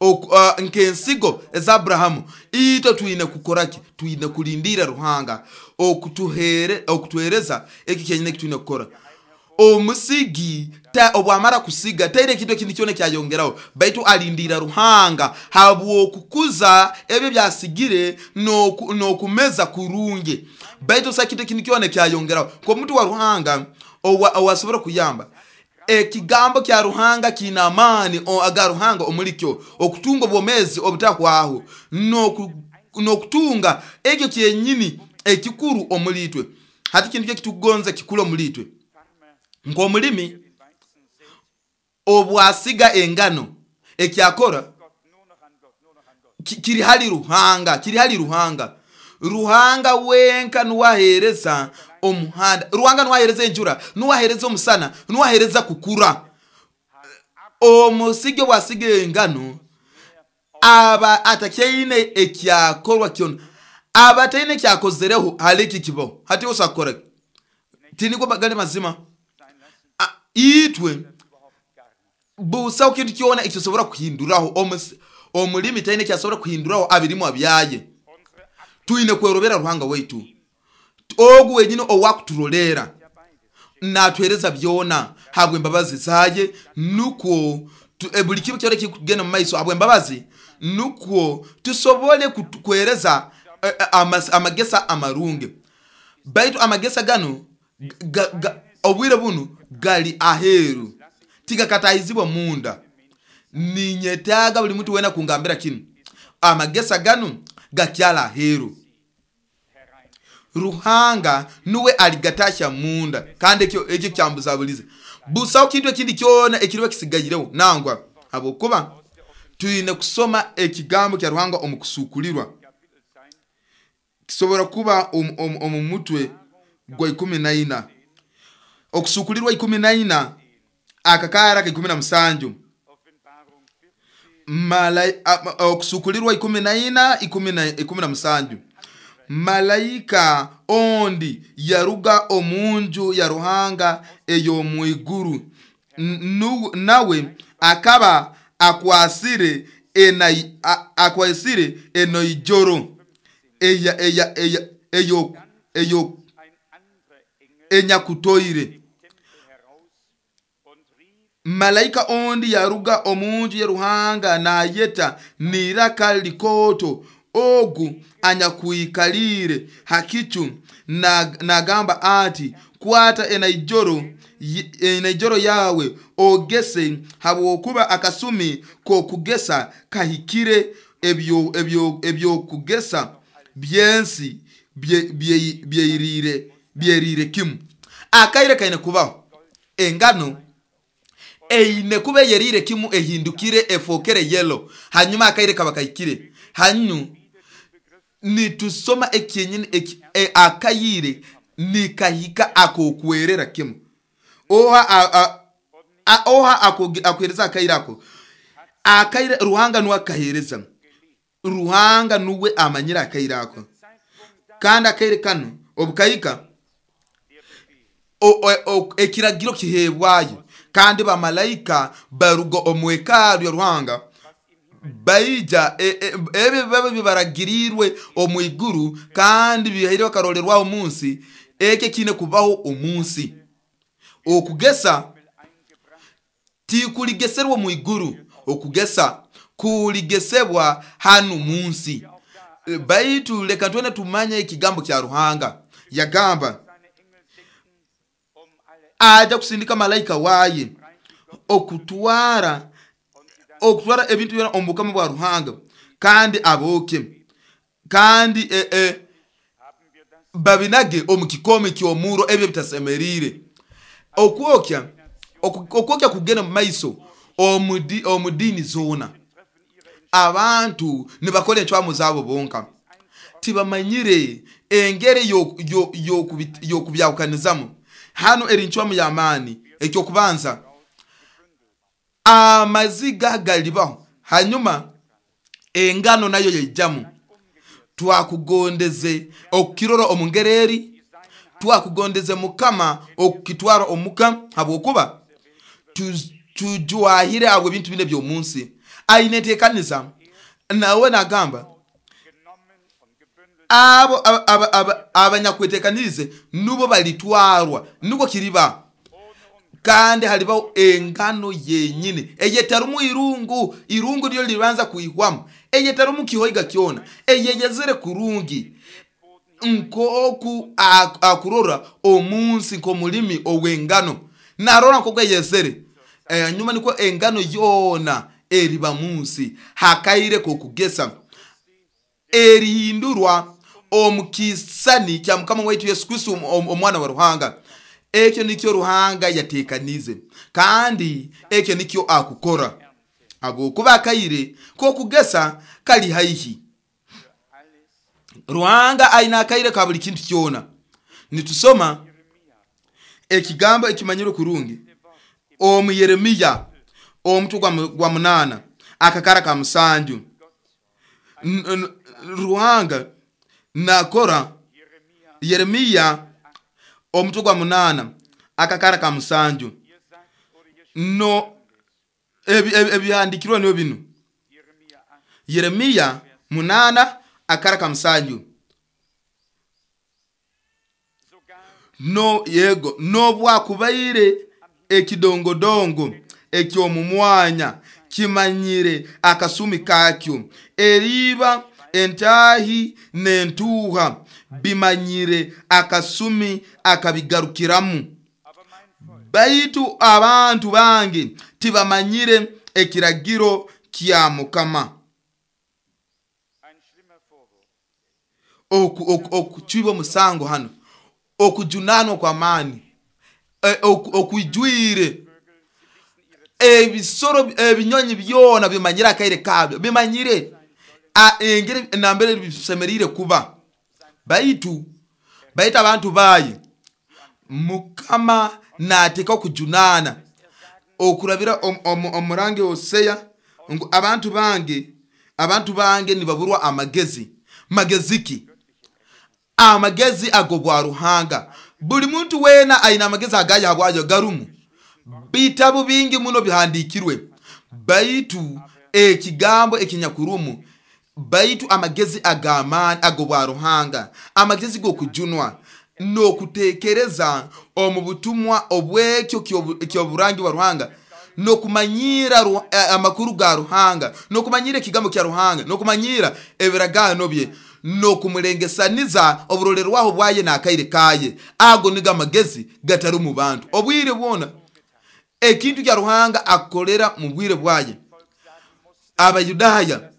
uh, nkensigo eza Abrahamu. Ito twine kukoraki? Twine kulindira Ruhanga okutuhere okutuhereza eki kyenyine kitwine kukora. Omusigi ta obwamara kusiga taire kintu ekindi kyone kyayongeraho, baitu alindira Ruhanga habwokukuza ebyo byasigire n'okumeza kurungi, baitu sa kintu ekindi kyone kyayongeraho. Ko muntu wa Ruhanga owasobora kuyamba ekigambo kya Ruhanga kina amani aga Ruhanga omulikyo okutunga obwomezi obutakwaho n'okutunga ekyo kyenyini ekikuru omulitwe. Hati kintu kitugonza kikulu omulitwe ng'omulimi obwasiga engano ekyakora kiri hali Ruhanga, kiri hali Ruhanga. Ruhanga wenka nuwahereza omuhanda, Ruhanga nuwahereza enjura, nuwahereza omusana, nuwahereza kukura. Omusige bwasiga engano aba atakyaine ekyakorwa kyona, aba ataine ekyakozereho hali iki kibaho hati osakora tiniko bagali mazima. Itwe busaho kintu kyona ekisobora kuhinduraho omulimi taine kyasobora kuhinduraho abirimu abyaye. Twine kwerobera Ruhanga waitu ogu wenyine owakuturolera natwereza byona habwe embabazi zaye, nukwo buli kimu kyona kigenda mu maiso habwe embabazi, nukwo tusobole kwereza amagesa amarungi. Baitu amagesa gano obwire bunu gali aheru tigakatahizibwa munda. Ninyetaaga buli muntu wena kungambira kinu, amagesa gano gakyala aheru. Ruhanga nuwe aligatasha munda, kandi ekyo ekyo kyambuzabulize. Busaho kintu ekindi kyona ekiriba kisigaireho nangwa, habwokuba twine kusoma ekigambo kya Ruhanga omu kusukulirwa. Kisobora kuba omu mutwe gwa ikumi na ina, okusukulirwa ikumi na ina akakara ka ikumi na musanju, okusukulirwa ikumi na ina ikumi na musanju. Malaika ondi yaruga omunju ya Ruhanga ey'omwiguru, nawe akaba akwasire akwasire enoijoro enyakutoire. Malaika ondi yaruga omunju ya Ruhanga nayeta niraka likoto ogu anyakuikalire hakicu, nagamba ati, kwata enaijoro enaijoro yawe ogese, habwokuba akasumi kokugesa kahikire, ebyo ebyo ebyokugesa byensi byerire byerire kimu. Akaire kaine kubaho engano eine kuba yerire kimu, ehindukire efokere yellow, hanyuma akaire kaba kahikire. Hanyu nitusoma ekyenyini eki, e, akayire nikahika akokwerera kimu. Oha a, a, oha akuhereza akaire ako, akaire Ruhanga nuwe akahereza, Ruhanga nuwe amanyira akaire ako. Kandi akaire kano obukahika ekiragiro kihebwayo, kandi bamalaika baruga omu hekalu ya Ruhanga baija ebyo biba bibaragirirwe omu iguru kandi bihaire bakarolerwaho omunsi. Ekyo kiine kubaho omunsi. Okugesa tikuligeserwa omu iguru, okugesa kuligesebwa hanu munsi. Baitu leka twene tumanye ekigambo kya Ruhanga. Yagamba aja kusindika malaika waye okutwara okutwara ebintu byona omu bukama bwa Ruhanga, kandi aboke kandi e, e, babinage omu kikome ky'omuro ebyo bitasemerire. Okwokya okwokya kugenda mu maiso omu dini zona. Abantu nibakora encwamu zabo bonka, tibamanyire engeri yokubyahukanizamu. Hano eri ncwamu y'amaani. Ekyokubanza, amaziga galibaho, hanyuma engano nayo yaijamu. Twakugondeze okukirora omu ngeri eri, twakugondeze Mukama okukitwara omuka, habwokuba tujwahire abo ebintu bine by'omunsi. Aine enteekaniza nawe nagamba abo abanyakweteekanize nubo balitwarwa, nubwo kiriba. Kandi halibaho engano yenyini eyetarumu irungu, irungu ryo libanza kuihwamu, eyetarumu kihoiga kyona, eyeyezere kurungi, nkoku akurora omunsi nk'omulimi ow'engano narora nkoku eyezere. Nyuma niko engano yona eriba munsi hakaire kokugesa, erihindurwa omu kisani kya Mukama waitu Yesu Kristo omwana wa Ruhanga. Ekyo nikyo Ruhanga yatekanize, kandi ekyo nikyo akukora, habwokuba akaire kokugesa kali haihi. Ruhanga aina akaire ka buli kintu kyona. Nitusoma ekigambo ekimanyirwe kurungi omu Yeremiya omutwe gwa munana akakara ka musanju. Ruhanga nakora Yeremiya omutwe gwa munana akakara ka musanju. No ebihandikirwe niyo bino. Yeremiya munana akara ka musanju. No yego nobwakubaire ekidongodongo eky'omumwanya kimanyire akasumi kakyo, eriba entahi n'entuuha bimanyire akasumi akabigarukiramu. Baitu abantu bange tibamanyire ekiragiro kya Mukama. Okucwibwa omusango hano, okujunanwa kwa maani, Okwijwire ebisoro ebinyonyi byona bimanyire akaire kabyo, bimanyire engeri nambere bisemerire kuba. Baitu baitu abantu baye Mukama nateeka okujunana okurabira omurangi Hosea ngu abantu bange abantu bange nibaburwa amagezi. Magezi ki? Amagezi agobwa Ruhanga. Buli muntu wena aina amagezi agaya habwayo garumu. Bitabu bingi muno bihandikirwe, baitu ekigambo ekinyakurumu, baitu amagezi ag'amaani agobwa Ruhanga, amagezi g'okujunwa n'okutekereza omu butumwa obwekyo ky'oburangi bwa Ruhanga, n'okumanyira amakuru ga Ruhanga, n'okumanyira ekigambo kya Ruhanga, n'okumanyira ebiragaano bye, n'okumulengesaniza oburolerwaho bwaye n'akaire kaye. Ago nigo amagezi gatari mu bantu. Obwire bwona ekintu kya Ruhanga akolera mu bwire bwaye. Abayudaaya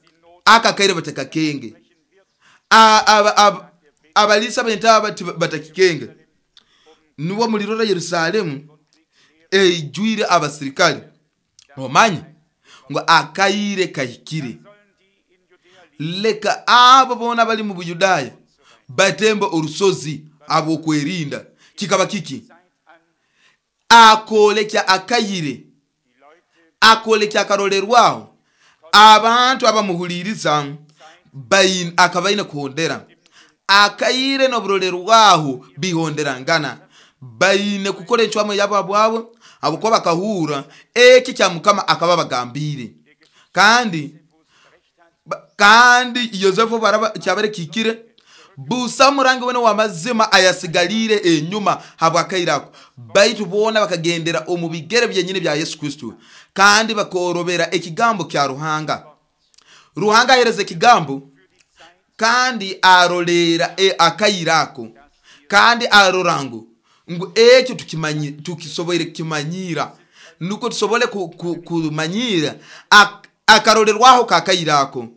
aka kaire batakakenge, abalisa b'entaaba batakikenge. Nubwo mulirora Yerusalemu eijwire abasirikale, omanye ngu akaire kahikire. Leka abo boona bali mu Buyudaaya batembe orusozi ab'okwerinda. Kikaba kiki? Akolekya akayire, akolekya akarolerwaho abantu abamuhuliriza akabaine kuhondera akaire n'oburolerwaho bihonderangana. Baine kukora encwamu yabo bwabo habwokuba bakahura eki kya Mukama akaba bagambire. Kandi kandi Yosefu baraba kyabere kikire busa murangi wene wa mazima ayasigalire enyuma habwakaire ako. Baitu boona bakagendera omu bigere byenyini bya Yesu Kristo, kandi bakorobera ekigambo kya Ruhanga. Ruhanga ahereza ekigambo kandi arolera e, akaire ako, kandi arora ngu ngu ekyo tukimanyi tukisoboire kukimanyira, nuko tusobole kumanyira akarolerwaho kakaire ako.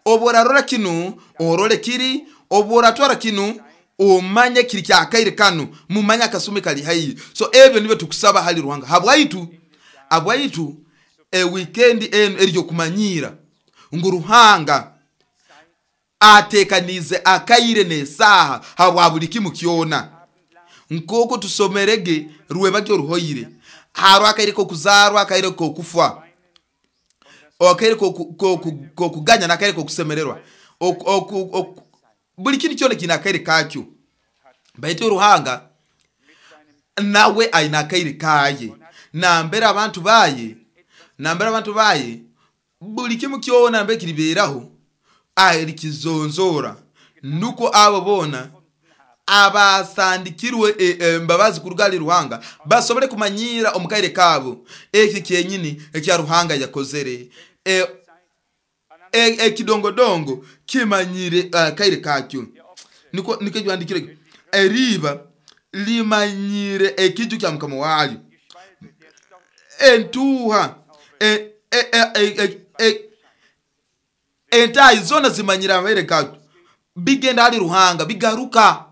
Obu orarora kinu orole kiri, obu oratwara kinu omanye kiri kyakaire kanu, mumanye akasumi kali haihi. So ebyo nibyo tukusaba hali Ruhanga habwaitu habwaitu e weekend enu eryo kumanyira ngu Ruhanga atekanize akaire n'esaaha habwa buli kimu kyona. Nk'oku tusomerege rwebagyo ruhoire, haro akaire k'okuzarwa, akaire k'okufa, akaire k'okuganya n'akaire k'okusemererwa. Buli kintu kyona kiine akaire kakyo. Baitu Ruhanga nawe aine akaire kaye, nambere abantu baye nambere abantu baye buli kimu kyona nambere kiriberaho alikizonzora, nuko abo bona abasandikirwe embabazi kuruga ali Ruhanga basobole kumanyira omukaire kabo eki kyenyini ekya Ruhanga yakozere. E, ekidongodongo kimanyire akaire kakyo. Niko niko byandikire eriba limanyire ekiju kya Mukama walyo, entuha e, e, e, e, entayi zona zimanyira amaire kakyo, bigenda ali Ruhanga bigaruka.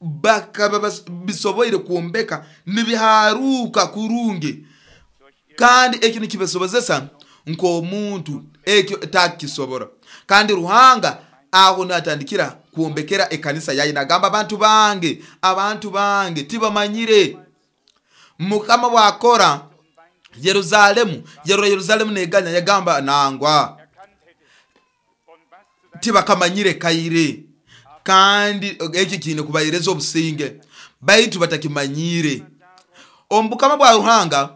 Bakaba bisoboire kuombeka nibiharuka kurungi, kandi ekyo nikibasobozesa nk'omuntu ekyo takisobora. Kandi Ruhanga aho natandikira kuombekera ekanisa yaye, nagamba abantu bange abantu bange tibamanyire. Mukama bwakora Yerusalemu, yarora Yerusalemu neganya, yagamba nangwa tibakamanyire kaire, kandi eki kiine kubahereza obusinge, baitu batakimanyire. Omu bukama bwa Ruhanga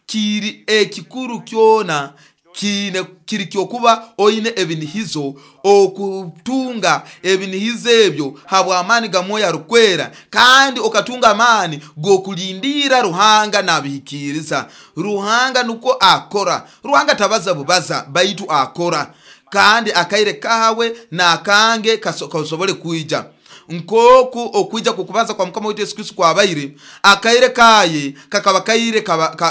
kiri ekikuru kyona kiine kiri kyokuba oine ebinihizo, okutunga ebinihizo ebyo habw'amaani ga Mwoyo Arukwera, kandi okatunga amaani g'okulindira Ruhanga nabihikiriza. Ruhanga nuko akora. Ruhanga tabaza bubaza, baitu akora, kandi akaire kawe n'akange kasobole kwija. Nkoku okwija kukubaza kwa Mukama wetu Yesu Kristo kwabaire, akaire kaye kakaba kaire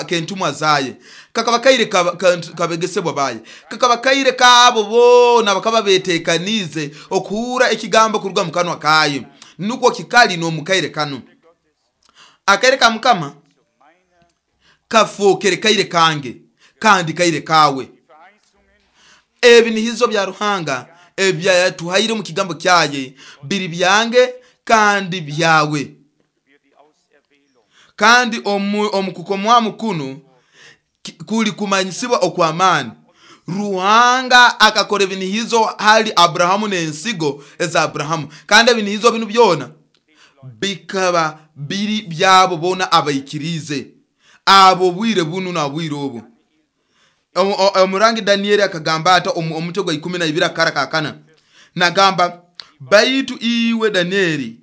kentumwa zaye, kakaba kaire kabegesebwa baye, kakaba kaire kabo bona bakaba betekanize okuhura ekigambo kuruga mu kanwa kaye. Nukwo kikali n'omukaire kanu. Akaire ka Mukama kafookere kaire kange kandi kaire kawe. Ebinihizo bya Ruhanga ebyatuhaire mu kigambo kyaye biri byange kandi byawe. Kandi omukukomwamu kuno kuli kumanyisibwa okw'amaani. Ruhanga akakora ebinihizo hali Abrahamu n'ensigo eza Abrahamu, kandi ebinihizo binu byona bikaba biri byabo bona abaikirize abo bwire bunu na bwire obu. Omurangi Danieli akagamba ata omutwe gwa ikumi na ibiri akara kakana, nagamba, baitu iwe Danieli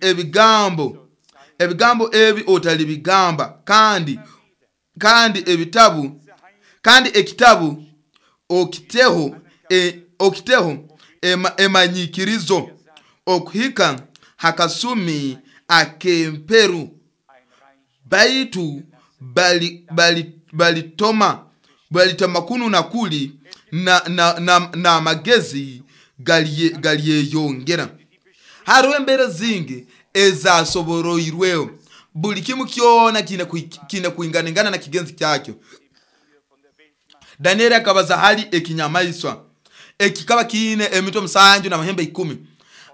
ebigambo ebigambo ebi otalibigamba, kandi kandi ebitabu kandi ekitabu okiteho e, okiteho ema, emanyikirizo okuhika hakasumi akemperu, baitu bali bali balitoma balitoma kunu na kuli na na na, na magezi galiyeyongera. Hariho embera zingi ezasoboroirweho, buli kimu kyona kine kuinganingana na kigenzi kyakyo. Danieli akabaza hali ekinyamaiswa ekikaba kiine emitwe musanju na mahembe ikumi.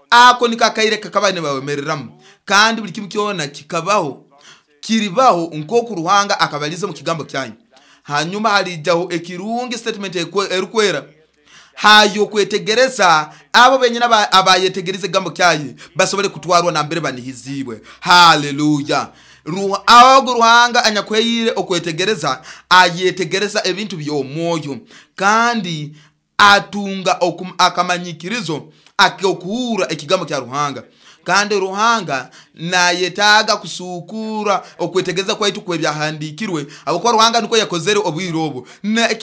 Ako niko akaire kakaba nibawemereramu, kandi buli kimu kyona kikabaho kiribaho nkoku Ruhanga akabaliza mu kigambo kyanyu. Hanyuma halijaho ekirungi statement erukwera hayo kwetegereza abo benyina abayetegereza ekigambo kyaye basobole kutwarwa nambere banihizibwe. Haleluya. Ago Ruhanga anyakweyire okwetegereza ayetegereza ebintu by'omwoyo, kandi atunga akamanyikirizo ak'okuhura ekigambo kya Ruhanga. Kandi Ruhanga nayetaaga kusukura okwetegereza kwaitu kwebyahandikirwe, ahabwokuba Ruhanga niko yakozere obwire obu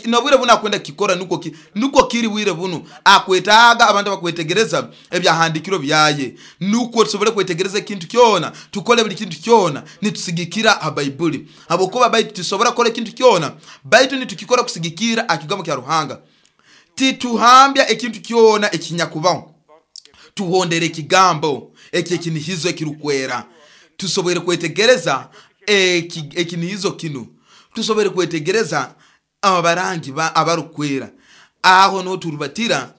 nobwire buno akwenda kikora, nuko nuko kiri bwire buno akwetaaga abantu bakwetegereza ebyahandikirwe byaye, nuko tusobole kwetegereza ekintu kyona, tukole buli kintu kyona nitusigikira ha Baibuli. Ahabwokuba baitu tusobora kukora ekintu kyona, baitu nitukikora kusigikira akigambo kya Ruhanga. Tituhambya ekintu kyona ekinyakubaho, tuhondere ekigambo eki ekinihizo ekirukwera, tusobole kwetegereza ekinihizo kinu, tusobole kwetegereza abarangi abarukwera. Aho niho turubatira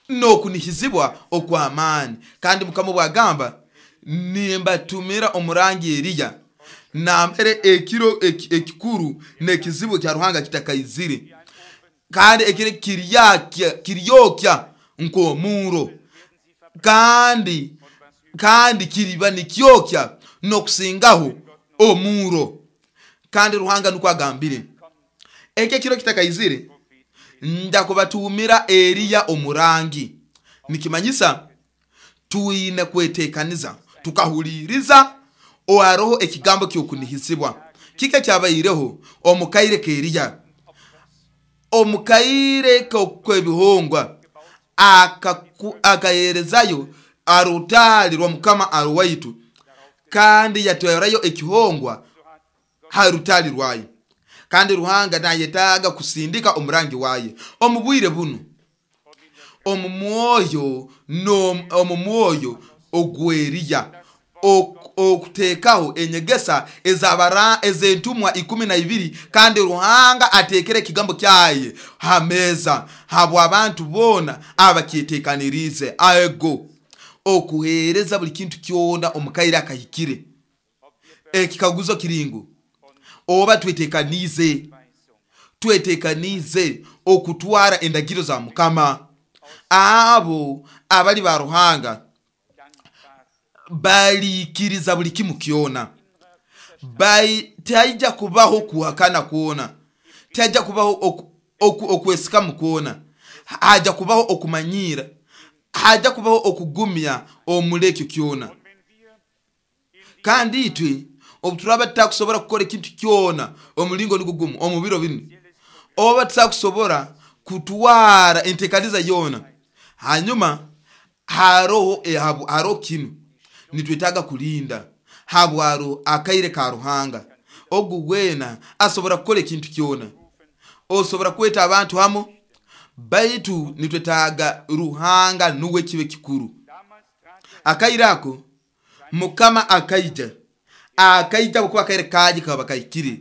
n'okunihizibwa okw'amaani. Kandi Mukama bwagamba, nimbatumira omurangi Eliya nambere ekiro ekikuru n'ekizibu kya Ruhanga kitakaizire, kandi ekiro kiryokya nk'omuro, kandi kandi kiriba nikyokya n'okusingaho omuro. Kandi Ruhanga nukwo agambire, ekyo ekiro kitakaizire ndakubatumira Eliya omurangi. Nikimanyisa tuine kwetekaniza tukahuliriza oharoho ekigambo ky'okunihizibwa. Kika kyabaireho omukaire k'Eliya, omukaire k'ebihongwa akaherezayo arutali rwa Mukama arwaitu, kandi yatwarayo ekihongwa ha rutali rwaye. Kandi Ruhanga nayetaaga kusindika omurangi waye omu bwire buno, omu mwoyo omu mwoyo ogw'Eliya, okutekaho enyegesa ezabara ezentumwa ikumi na ibiri. Kandi Ruhanga atekere ekigambo kyaye ha meza habwa abantu bona abakyetekanirize aego okuhereza buli kintu kyona omukaire akahikire. Ekikaguzo kiringu, oba twetekanize twetekanize okutwara endagiro za Mukama? Abo abali ba Ruhanga balikiriza buli kimu kyona, taija kubaho kuhakana kwona, taija kubaho okwesikamu kwona, haja kubaho okumanyira, haja kubaho okugumya omulekyo kyona. Kandi itwe obu turaba tutakusobora kukora ekintu kyona omulingo nigwo gumu omu biro binu, oba tutakusobora kutwara entekaniza yona, hanyuma haroho haroho kinu nitwetaaga kulinda habwaro akaire ka Ruhanga. Ogu wena asobora kukora ekintu kyona, osobora kweta abantu hamu, baitu nitwetaaga Ruhanga nuwe kibe kikuru. Akaire ako Mukama akaija, akaija bwokuba akaire kaji kaba kahikire.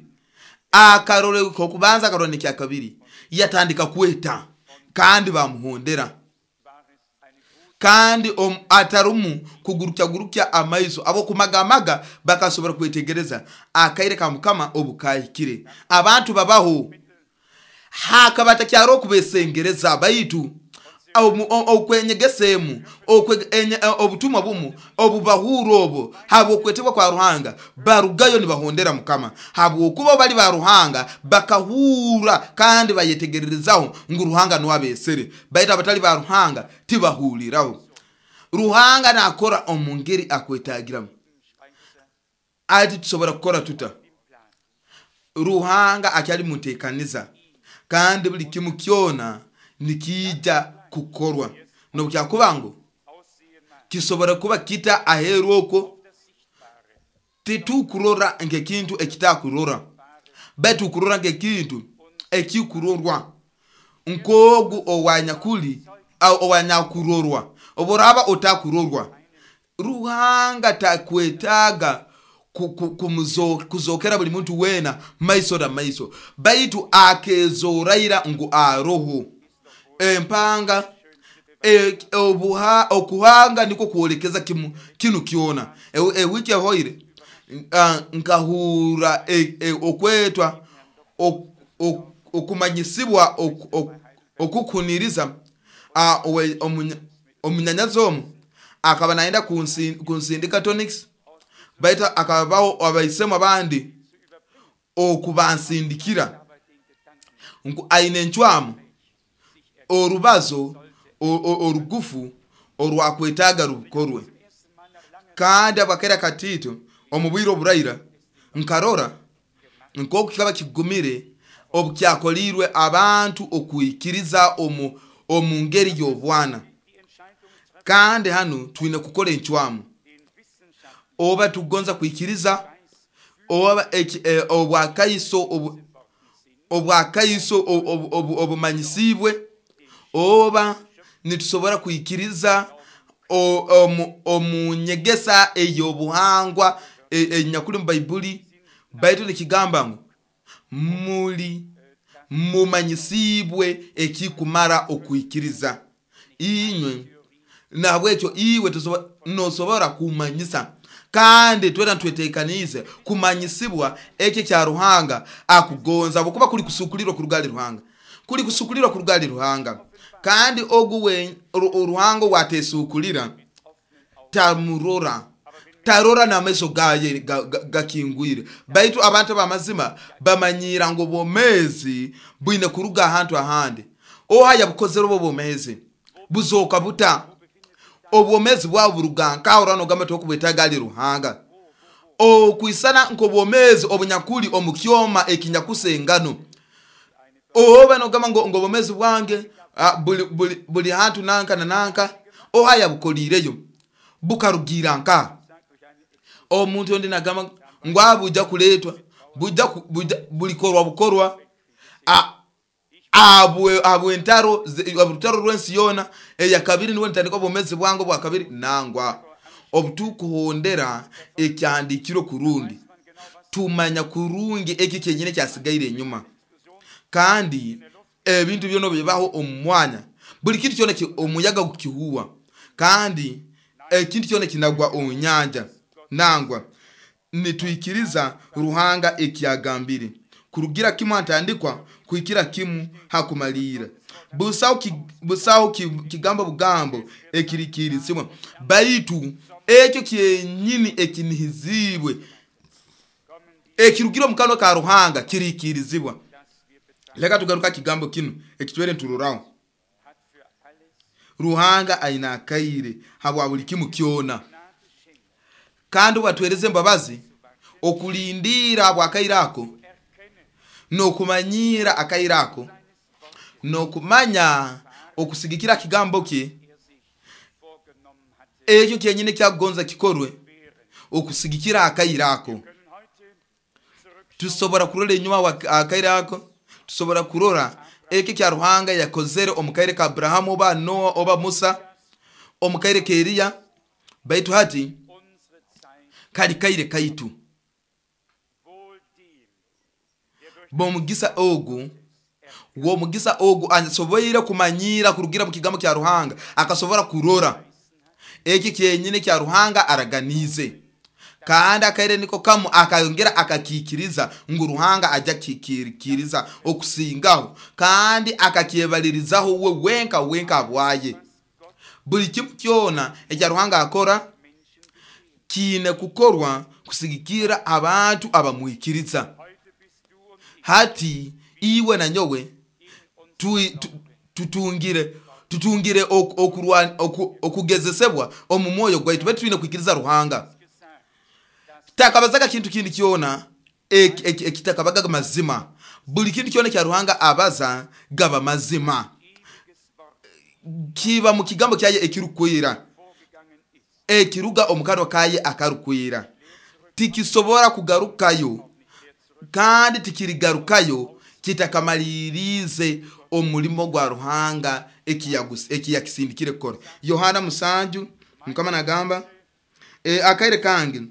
Akarore okubanza, akarora nekyakabiri, yatandika kweta kandi bamuhondera, kandi atarumu kugurukya amaiso abokumagamaga bakasobora kwetegereza akaire ka Mukama obukahikire. Abantu babaho hakaba takyaro okubesengereza, baitu okwenyegesemu obutumwa bumu obubahura obwo habwokwetebwa kwa Ruhanga barugayo nibahondera Mukama, habwokuba bali ba Ruhanga bakahura kandi bayetegererezaho ngu Ruhanga nuwe abesere. Baitu abatali ba Ruhanga tibahuliraho. Ruhanga nakora omu ngeri akwetagiramu. Ati tusobora kukora tuta? Ruhanga akyali mutekaniza, kandi buli kimu kyona nikija kukorwa. Nobukyakuba ngu kisobora kuba kita aheru okwo, titukurora nkekintu ekitakurora, baitu kurora nkekintu ekikurorwa, nkogu owanyakuli owanyakurorwa. Oboraba otakurorwa, Ruhanga takwetaga kuzokera buli muntu wena maiso na maiso, baitu akezoraira ngu aroho. Empanga e, obuha, okuhanga niko kuolekeza kimu kinu kyona. Ewiki ehoire nkahura e, e, okwetwa ok, ok, okumanyisibwa ok, ok, okukuniriza. Omunyanyazi omu akaba naenda kunsindika tonics, baitu akabaho abaisemu abandi okubansindikira ngu aine encwamu orubazo orugufu orwakwetaga rukorwe. Kandi abakera katito omu bwire oburaira nkarora nkoku kikaba kigumire obukyakolirwe abantu okuikiriza omu omu ngeri y'obwana. Kandi hanu twine kukora encwamu, oba tugonza kwikiriza oba obwakaiso obwakaiso obumanyisibwe, oba nitusobora kwikiriza omu nyegesa ey'obuhangwa enyakuli mu Baibuli. Baitu nikigamba ngu muli mumanyisibwe ekikumara okwikiriza inywe. Nahabwekyo iwe nosobora kumanyisa, kandi twena twetekaniize kumanyisibwa ekyo kya Ruhanga akugonza, bwokuba kuli kusukulirwa kuruga ali Ruhanga, kuli kusukulirwa kuruga ali Ruhanga. Kandi ogu we Ruhanga watesukulira tamurora, tarora n'amaiso gaye gakingwire. Baitu abantu abamazima bamanyira ngu obwomezi bwine kuruga ahantu ahandi. Oha yabukozere obwo bwomezi buzoka buta? Obwomezi bwawe buruga nkaho orano ogamba tokubwetaga ali Ruhanga. Okwisana nk'obwomezi obunyakuli omu kyoma ekinyakusa engano. Oba nogamba ngo obwomezi bwange buli, buli, buli hantu nanka na nanka, oha yabukolireyo bukarugira nka? Omuntu ondi nagamba ngu abuja kuletwa buja bulikorwa bukorwa abwe abwe entaro orutaro rw'ensi yona eyakabiri, niwe ntandika obwomezi bwange obwa kabiri. Nangwa obutukuhondera ekyandikiro kurungi, tumanya kurungi eki kyenyine kyasigaire enyuma. Kandi ebintu byona bibaho omu mwanya, buli kintu kyona omuyaga gukihuwa, kandi ekintu kyona kinagwa omu nyanja. Nangwa nitwikiriza Ruhanga ekyagambire kurugira kimu atandikwa kuhikira kimu hakumalira. Busaho busaho kigambo bugambo ekirikirizibwa, baitu ekyo kyenyini ekinihizibwe ekirugire omu kanwa ka Ruhanga kirikirizibwa. Leka tugaruka kigambo kinu ekitwere nturoraho. Ruhanga aina akaire habwa buli kimu kyona, kandi watwereze embabazi okulindira bwakaire ako nokumanyira akaire ako nokumanya okusigikira kigambo kye ekyo kyenyine kyakugonza kikorwe okusigikira akaire ako. Tusobora kurora enyuma akaire ako, tusobora kurora ekyo kya Ruhanga yakozere omu kaire ka Abrahamu oba Noa oba Musa, omu kaire ka Eriya, Baitu hati Unsere Zeit kali kaire kaitu. wohl dem, der durch Bomugisa ogu womugisa ogu asoboire kumanyira kurugira mu kigambo kya Ruhanga, akasobora kurora eki kyenyine kya Ruhanga araganize, kandi akaire niko kamu akayongera akakikiriza ngu Ruhanga ajja kikiriza okusingaho, kandi akakyebalirizaho we wenka wenka abwaye. Buli kimu kyona ekya Ruhanga akora Menschen geschieht. kiine kukorwa kusigikira abantu abamwikiriza. Heute bist du und ich Hati iwe na nyowe in uns tui- tu- tutungire tutungire ok- okurwa- oku- okugezesebwa omu mwoyo gwaitu, baitu twine kwikiriza Ruhanga. gesagt, dass Takabazaga kintu kindi kyona ek- ek- ekitakabaga mazima. Buli kintu kyona kya Ruhanga abaza gaba mazima, ewiges Wort kiba mu kigambo kyaye ekirukwira, vorgegangen ist. ekiruga omu kanwa kaye akarukwira, tikisobora kugarukayo Nicht mehr zurück. kandi tikirigarukayo kitakamalirize omulimo gwa Ruhanga ekiyagus- ekiyakisindikire kukora. Yohana musanju Mukama nagamba e, akaire kange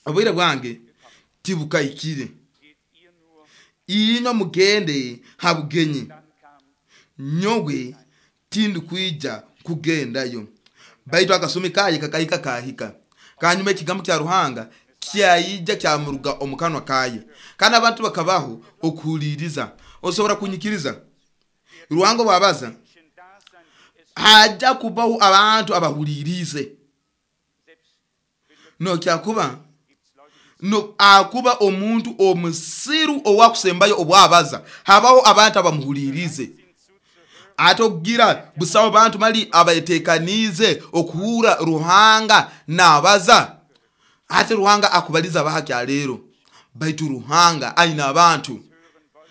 obwire bwange tibukahikire, Geht ihr nur, inywe mugende ha bugenyi, dann kam nyowe tindikwija kugendayo. Baitu akasumi kaye kakahika kahika, kanyuma ekigambo kya Ruhanga kyayija kyamuruga omu kanwa kaye, kandi abantu bakabaho okuhuliriza. Osobora kunyikiriza Ruhanga bwabaza, Menschen da sein, die es hajja kubaho abantu abahulirize. selbst Nokyakuba gibt's Leute, die no akuba omuntu omusiru owakusembayo obwabaza, habaho abantu abamuhulirize. sind zuzuhören, Ate okugira busawo bantu mali abateekaniize okuhura Ruhanga nabaza. Ate Ruhanga akubaliza bahakyaleero, baitu Ruhanga aina abantu hören wollen,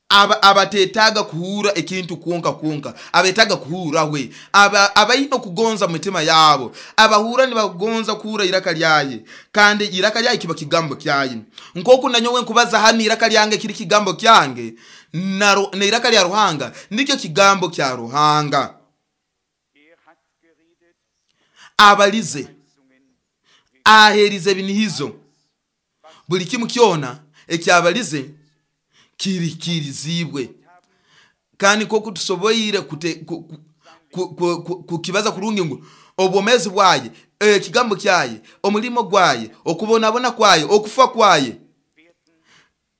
aba abateetaaga kuhura ekintu kwonka kwonka, abeetaaga kuhura we, aba abaine okugonza mu mitima yaabo, abahura nibagonza kuhura iraka lyaye, kandi iraka lyaye kiba kigambo kyaye. Nkoku nanyowe nkubaza hanu iraka lyange kiri kigambo kyange, na ru- na iraka lya Ruhanga nikyo kigambo kya Ruhanga. er hat geredet, Abalize Zungen aherize ebinihizo, buli kimu kyona ekyabalize kirikirizibwe. Kandi nkoku tusoboire kute- ku- ku- ku- ku- ku- kukibaza kurungi ngu obwomezi bwaye, ekigambo kyaye, omulimo gwaye, okubonabona kwaye, okufa kwaye,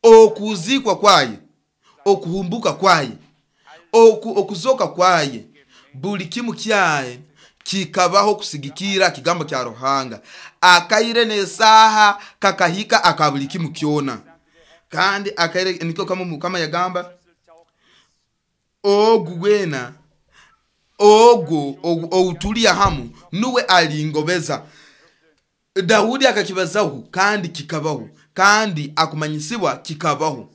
okuzikwa kwaye, okuhumbuka kwaye, oku, okuzoka kwaye, buli kimu kyaye kikabaho kusigikira kigambo kya Ruhanga. Akaire n'esaaha kakahika aka buli kimu kyona. Kandi akaire nikyo kama Mukama yagamba, ogu wena ogu ogu- outulia hamu nuwe alingobeza. Daudi akakibazaho kandi kikabaho, kandi akumanyisibwa kikabaho.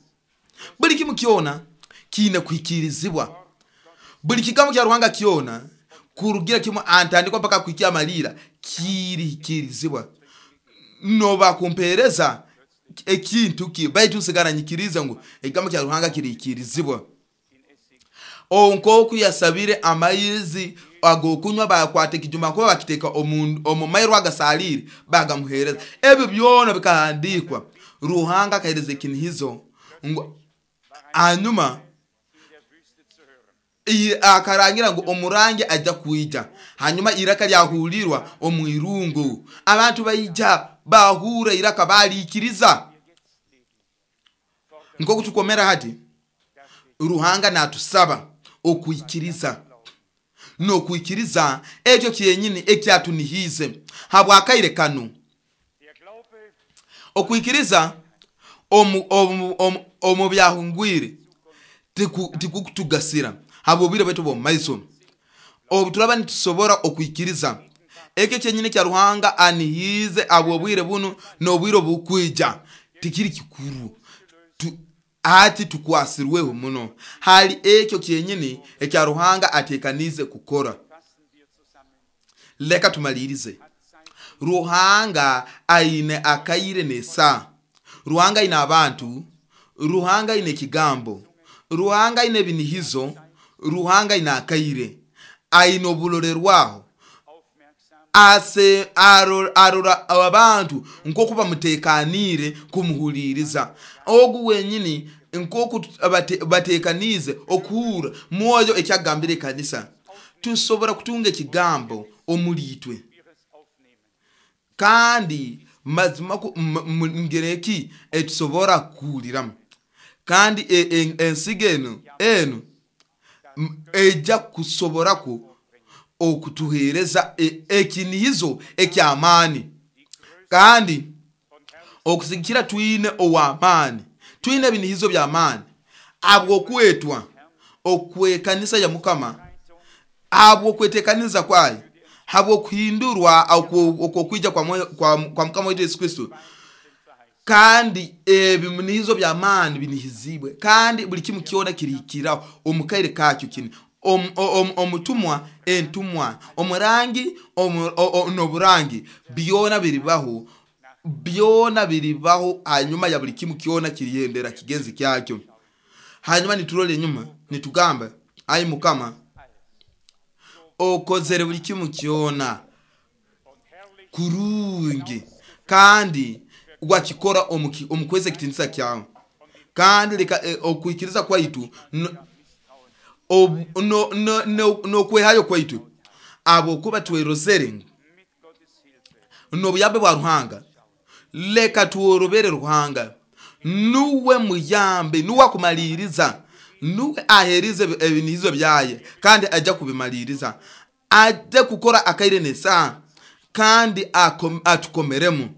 Buli kimu kyona kiine kuhikirizibwa, buli kigambo kya Ruhanga kyona kurugira kimu antandikwa mpaka kuhikia amalira kirihikirizibwa. Noba kumpereza ekintu ki, baitu nsigara nyikiriza ngu ekigambo kya Ruhanga kirihikirizibwa. Onkoku yasabire amaizi agokunywa, bakwata ekijuma kuba bakiteeka omu omu mairo agasalire bagamuhereza. Ebyo byona bikahandikwa. Ruhanga akahereza ekinihizo ngu hanyuma in der Wüste zu hören. i- akarangira ngu omurangi ajja kwija. Hanyuma iraka lyahulirwa omu irungu, abantu baija bahura iraka balikiriza. Wir jetzt leben, fordern, Nkoku tukomera hati, dass wir Ruhanga natusaba okwikiriza n'okwikiriza ekyo kyenyini ekyatunihiize habwakaire kanu. der Glaube Okwikiriza omu, omu, omu, omu byahungwire tiku- tikukutugasira habwobwire bwaitu bw'omu maiso. Obu turaba nitusobora okwikiriza ekyo kyenyini kya Ruhanga anihiize habwobwire bunu n'obwire obukwija, tikiri kikuru. Tu, ati tukwasirweho muno hali ekyo kyenyini ekya Ruhanga atekanize kukora. fassen wir zusammen, Leka tumalirize. hat sein Ruhanga aine akaire n'esaa, Ruhanga aine abantu, Ruhanga aine ekigambo, Ruhanga aine ebinihizo, Ruhanga aine akaire, aine oburolerwaho, aufmerksam Ase arora abantu nk'oku bamuteekaniire kumuhuliriza. Ogu wenyini nk'oku bateekaniize okuhurra mwoyo ekyagambire ekanisa. Tusobora kutunga ekigambo omuli itwe, kandi mazima ngeri eki etusobora kuhuliramu. Kandi ensigo eno eno ejja kusoboraku okutuheereza ekinihizo eky'amaani. Kandi okusigikira twine ow'amaani, twine ebinihizo by'amaani habw'okwetwa okwekanisa ya Mukama, habw'okweteekaniza kwayo, habw'okuhindurwa okwokwija kwa, kwa, kwa Mukama waitu Yesu Kristo. Kandi ebinihizo by'amaani binihizibwe, kandi buli kimu kyona kirihikiraho omu kaire kakyo kini. Omutumwa, entumwa, omurangi n'oburangi, byona biribaho, byona biribaho hanyuma ya buli kimu kyona kiriyendera kigenzi kyakyo. Hanyuma niturora enyuma nitugamba, ai Mukama, okozere buli kimu kyona kurungi, kandi wakikora omu kweza ekitinisa kyawe. Kandi leka okwikiriza kwaitu n'okwehayo kwaitu, habwokuba twerozere n'obuyambe bwa Ruhanga, leka tworobere Ruhanga. Nuwe muyambe, nuwe akumaliriza, nuwe aherize ebinihizo byaye, kandi ajja kubimaliriza, ajja kukora akaire n'esaaha, kandi atukomeremu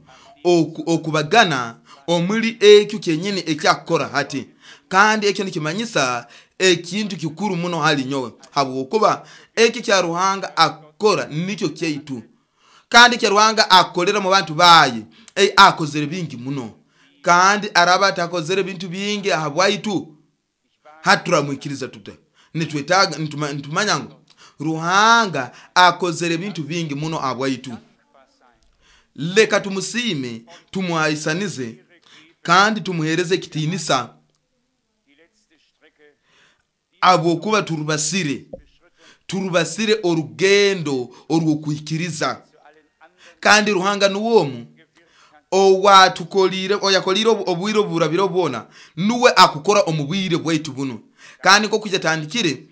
okubagana omuli ekyo kyenyini ekyakukora hati. Kandi ekyo nikimanyisa ekintu kikuru muno hali nyowe, habwokuba ekyo kya Ruhanga akora nikyo kyaitu, kandi kya Ruhanga akolera mu bantu baye, e, akozere bingi muno. Kandi araba atakozere bintu bingi ahabwaitu, haturamwikiriza tuta? Nitwetaaga nitumanya ngu Ruhanga akozere ebintu bingi muno ahabwaitu. Leka tumusiime, tumuhaisanize, kandi tumuhereze ekitiinisa, habwokuba turubasire turubasire orugendo orw'okwikiriza. Kandi Ruhanga nuwe omu owatukoliire, oyakoliire obwire oburabire bwona, nuwe akukora omu bwire bwaitu buno. Kandi nk'oku yatandikire,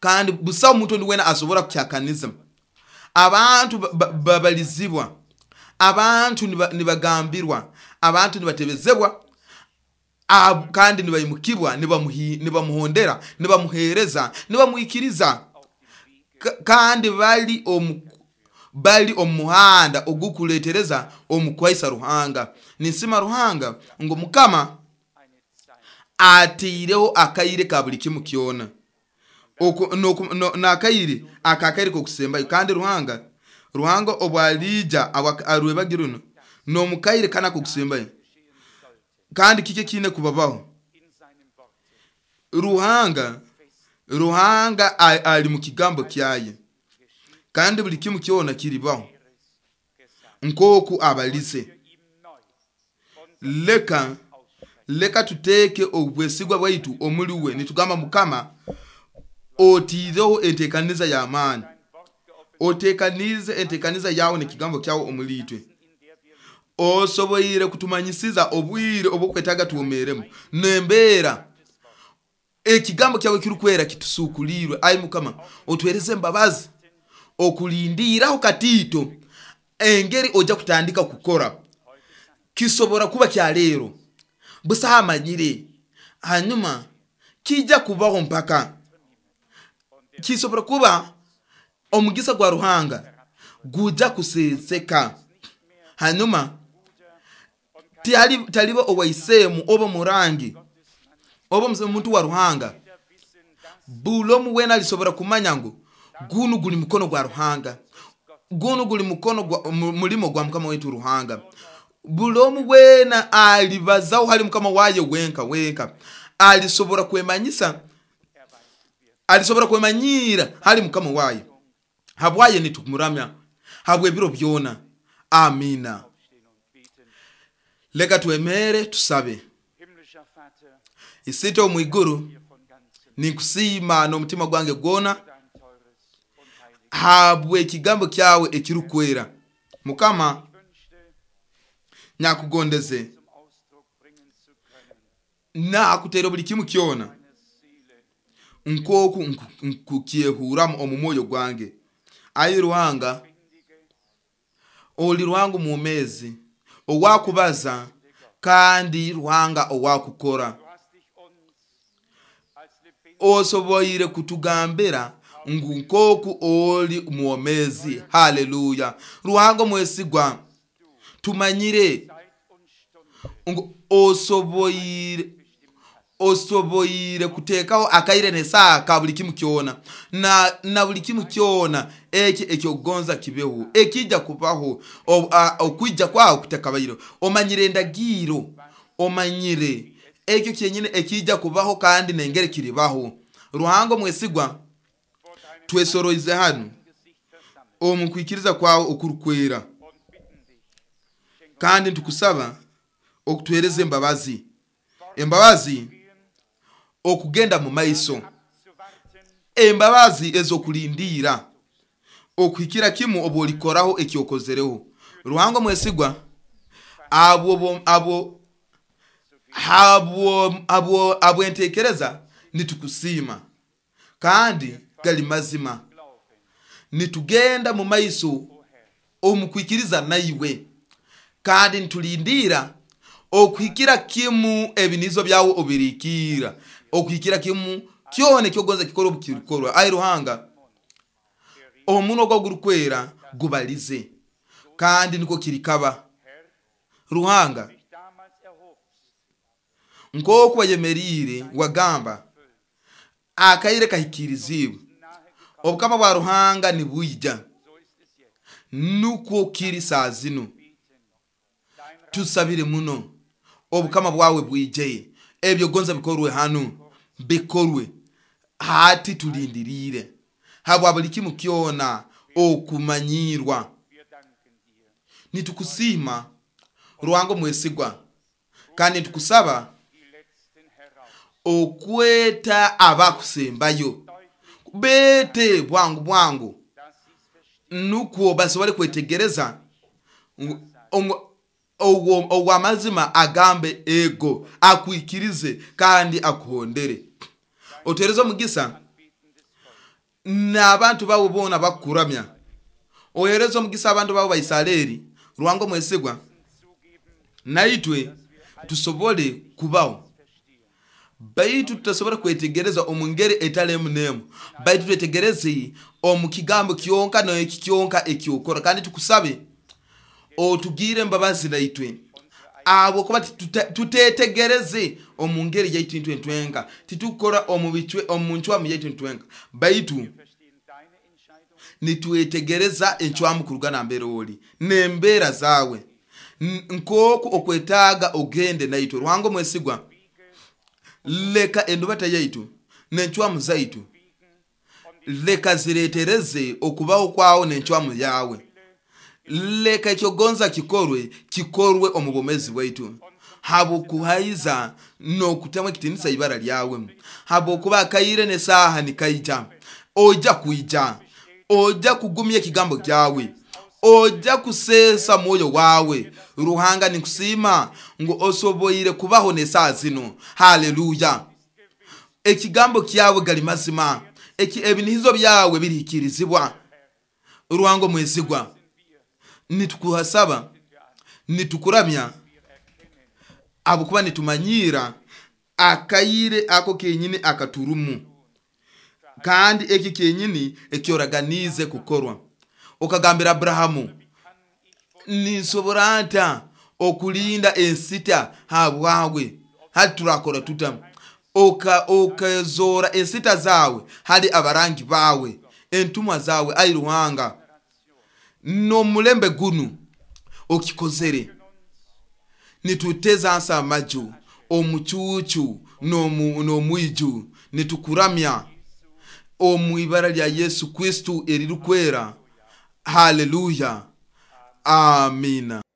kandi busaho omuntu ondi wena asobora kukyakaniza. Abantu babalizibwa, abantu nibagambirwa, abantu nibatebezebwa, kandi nibaimukibwa, nibamuhondera, nibamuheereza, nibamwikiriza, kandi bali omu bali omu muhanda ogukuleetereza omu kwaisa Ruhanga. Ninsima Ruhanga ngu Mukama ataireho akaire ka buli kimu kyona, n'akaire akakaire k'okusembayo. Kandi Ruhanga Ruhanga obwaliija arwebagi runo n'omukaire kana k'okusembayo, kandi kiki ekiine kubabaho? Ruhanga Ruhanga ali mu kigambo kyaye, kandi buli kimu kyona kiribaho nk'oku abalize. Leka leka tuteeke obwesigwa bwaitu omuli we, nitugamba, Mukama, otiireho enteekaniza y'amaani, oteekanize enteekaniza yawe n'ekigambo kyawe omuli itwe. Osoboire kutumanyisiza obwire obwokwetaaga twomeremu n'embeera. Ekigambo kyawe kirukwera kitusukulirwe. Ai Mukama, otwereze embabazi okulindiiraho katiito engeri ojja kutandika kukora. Kisobora kuba kyaleero, busaho amanyire, hanyuma kijja kubaho mpaka. Kisobora kuba omugisa gwa Ruhanga gujja kuseseka, hanyuma taliba owaisemu oba murangi oba omuntu wa Ruhanga. Buli omu wena alisobora kumanya ngu gunu guli mukono gwa Ruhanga, gunu guli mukono gwa mulimo gwa Mukama waitu Ruhanga. Buli omu wena alibazaho hali Mukama waye wenka wenka, alisobora kwemanyisa, alisobora kwemanyira hali Mukama waye. Habwaye nitumuramya habw'ebiro byona. Amina. Leka twemere tusabe. Isite omwiguru, ninkusiima n'omutima gwange gwona Habw'ekigambo kyawe ekirukwera. Mukama nyakugondeze Zum Ausdruck bringen zu können. Nakuteera buli kimu kyona Meine Seele nk'oku nku- nkukyehuramu omu mwoyo gwange. Ayi Ruhanga, findige oli Ruhanga omwomeezi owakubaza kandi Ruhanga owakukora. Du hast dich uns als lebendig Osoboire kutugambira ngu nk'oku oli mwomeezi. Haleluya! Ruhanga omwesigwa, tumanyire Zeit und Stunde ngu osoboire bestimmt hast. Osoboire kuteekaho akaire n'esaaha ka buli kimu kyona na, na buli kimu kyona eki ekyokugonza kibeho ekijja kubaho o- a- okwija kwawe kutakabaire. Omanyire endagiro, omanyire ekyo kyenyine ekijja kubaho kandi nengeri kiribaho. Ruhanga omwesigwa, Vor deinem twesoroize hanu Gesicht versammelt omu kwikiriza kwawe okurukwera und bitten dich, schenk uns kandi ntukusaba okutuhereza embabazi, embabazi gehen, okugenda mu maiso, abzuwarten, embabazi ez'okulindiira okuhikira kimu obu olikoraho ekyokozereho. Ruhanga omwesigwa, abo bo- abo habwo abo abwentekereza nitukusiima kandi gali mazima. Glauben, Nitugenda mu maiso o Herr, omu kwikiriza naiwe kandi nitulindiira okuhikira kimu ebinizo byawe obirikiira okuhikira kimu kyona ekyogonza kikora obukirikorwa. Ayi Ruhanga, omunwa gwa gurukwera gubalize kandi niko kirikaba. Herr, Ruhanga, dich damals erhobst, nk'oku wayemeriire wagamba akaire kahikirizibwe, nahe gekommen, obukama bwa Ruhanga nibwija, so ist es jetzt. nukwo kiri saa zinu. Beten. Dein Reich Tusabire muno obukama bwawe bwije, ebyo gonza bikorwe hanu bikorwe hati. Tulindiriire habwa buli kimu kyona okumanyirwa. Wir danken dir. Nitukusiima Ruhanga omwesigwa kandi nitukusaba Die Letzten heraus. okweta abakusembayo, Deutlich, bete bwangu bwangu dass sie es verstehen. nukwo basobole kwetegereza ngu- ngu- ogwo ogw'amazima agambe ego, akwikirize kandi akuhondere. Otereze omugisa Anbetendes Volk. n'abantu bawe boona bakukuramya. Ohereze omugisa abantu bawe Baisareri. Ruhanga omwesigwa, Zugeben, naitwe tusobole kubaho verstehen. baitu tutasobora kwetegereza omu ngeri etali emu n'emu, baitu twetegereze omu kigambo kyonka n'eki kyonka ekyokora. Kandi tukusabe otugire embabazi naitwe abo kuba tuta- tutetegereze omu ngeri yaitu intwe ntwenka, titukora omu bicwe omu ncwamu yaitu ntwenka, baitu Wir verstehen deine Entscheidung nitwetegereza encwamu kuruga nambere oli n'embeera zaawe. N- nk'oku okwetaaga ogende naitwe. Ruhanga omwesigwa, leka endubata yaitu n'encwamu zaitu leka zireetereze okubaho kwawo n'encwamu yawe. Leka ekyogonza kikorwe kikorwe omu bwomezi bwaitu habwokuhaiza n'okutamu ekitinisa ibara lyawe, habwokuba akaire n'esaaha nikaija. Ojja kwija, ojja kugumya ekigambo kyawe, ojja kuseesa mwoyo wawe. Ruhanga, nikusiima ngu osoboire kubaho n'esaaha zino. Haleluya! Ekigambo kyawe gali mazima. Eki ebinihizo byawe birihikirizibwa. Ruhanga omwesigwa, nitukuhasaba, nitukuramya abukuba nitumanyiira akaire ako kenyini akaturumu kandi eki kenyini ekyoraganize kukorwa. Okagambira Aburahamu, ninsobora nta okulinda ensita habwawe? Hati turakora tuta? Oka okazora ensita zawe hali abarangi bawe, entumwa zawe. Ai Ruhanga, n'omulembe gunu okikozere. Nituteza nsa amaju omucuucu n'omu- n'omwiju, nitukuramya omu ibara lya Yesu Kristu eririkwera. Haleluya, amina.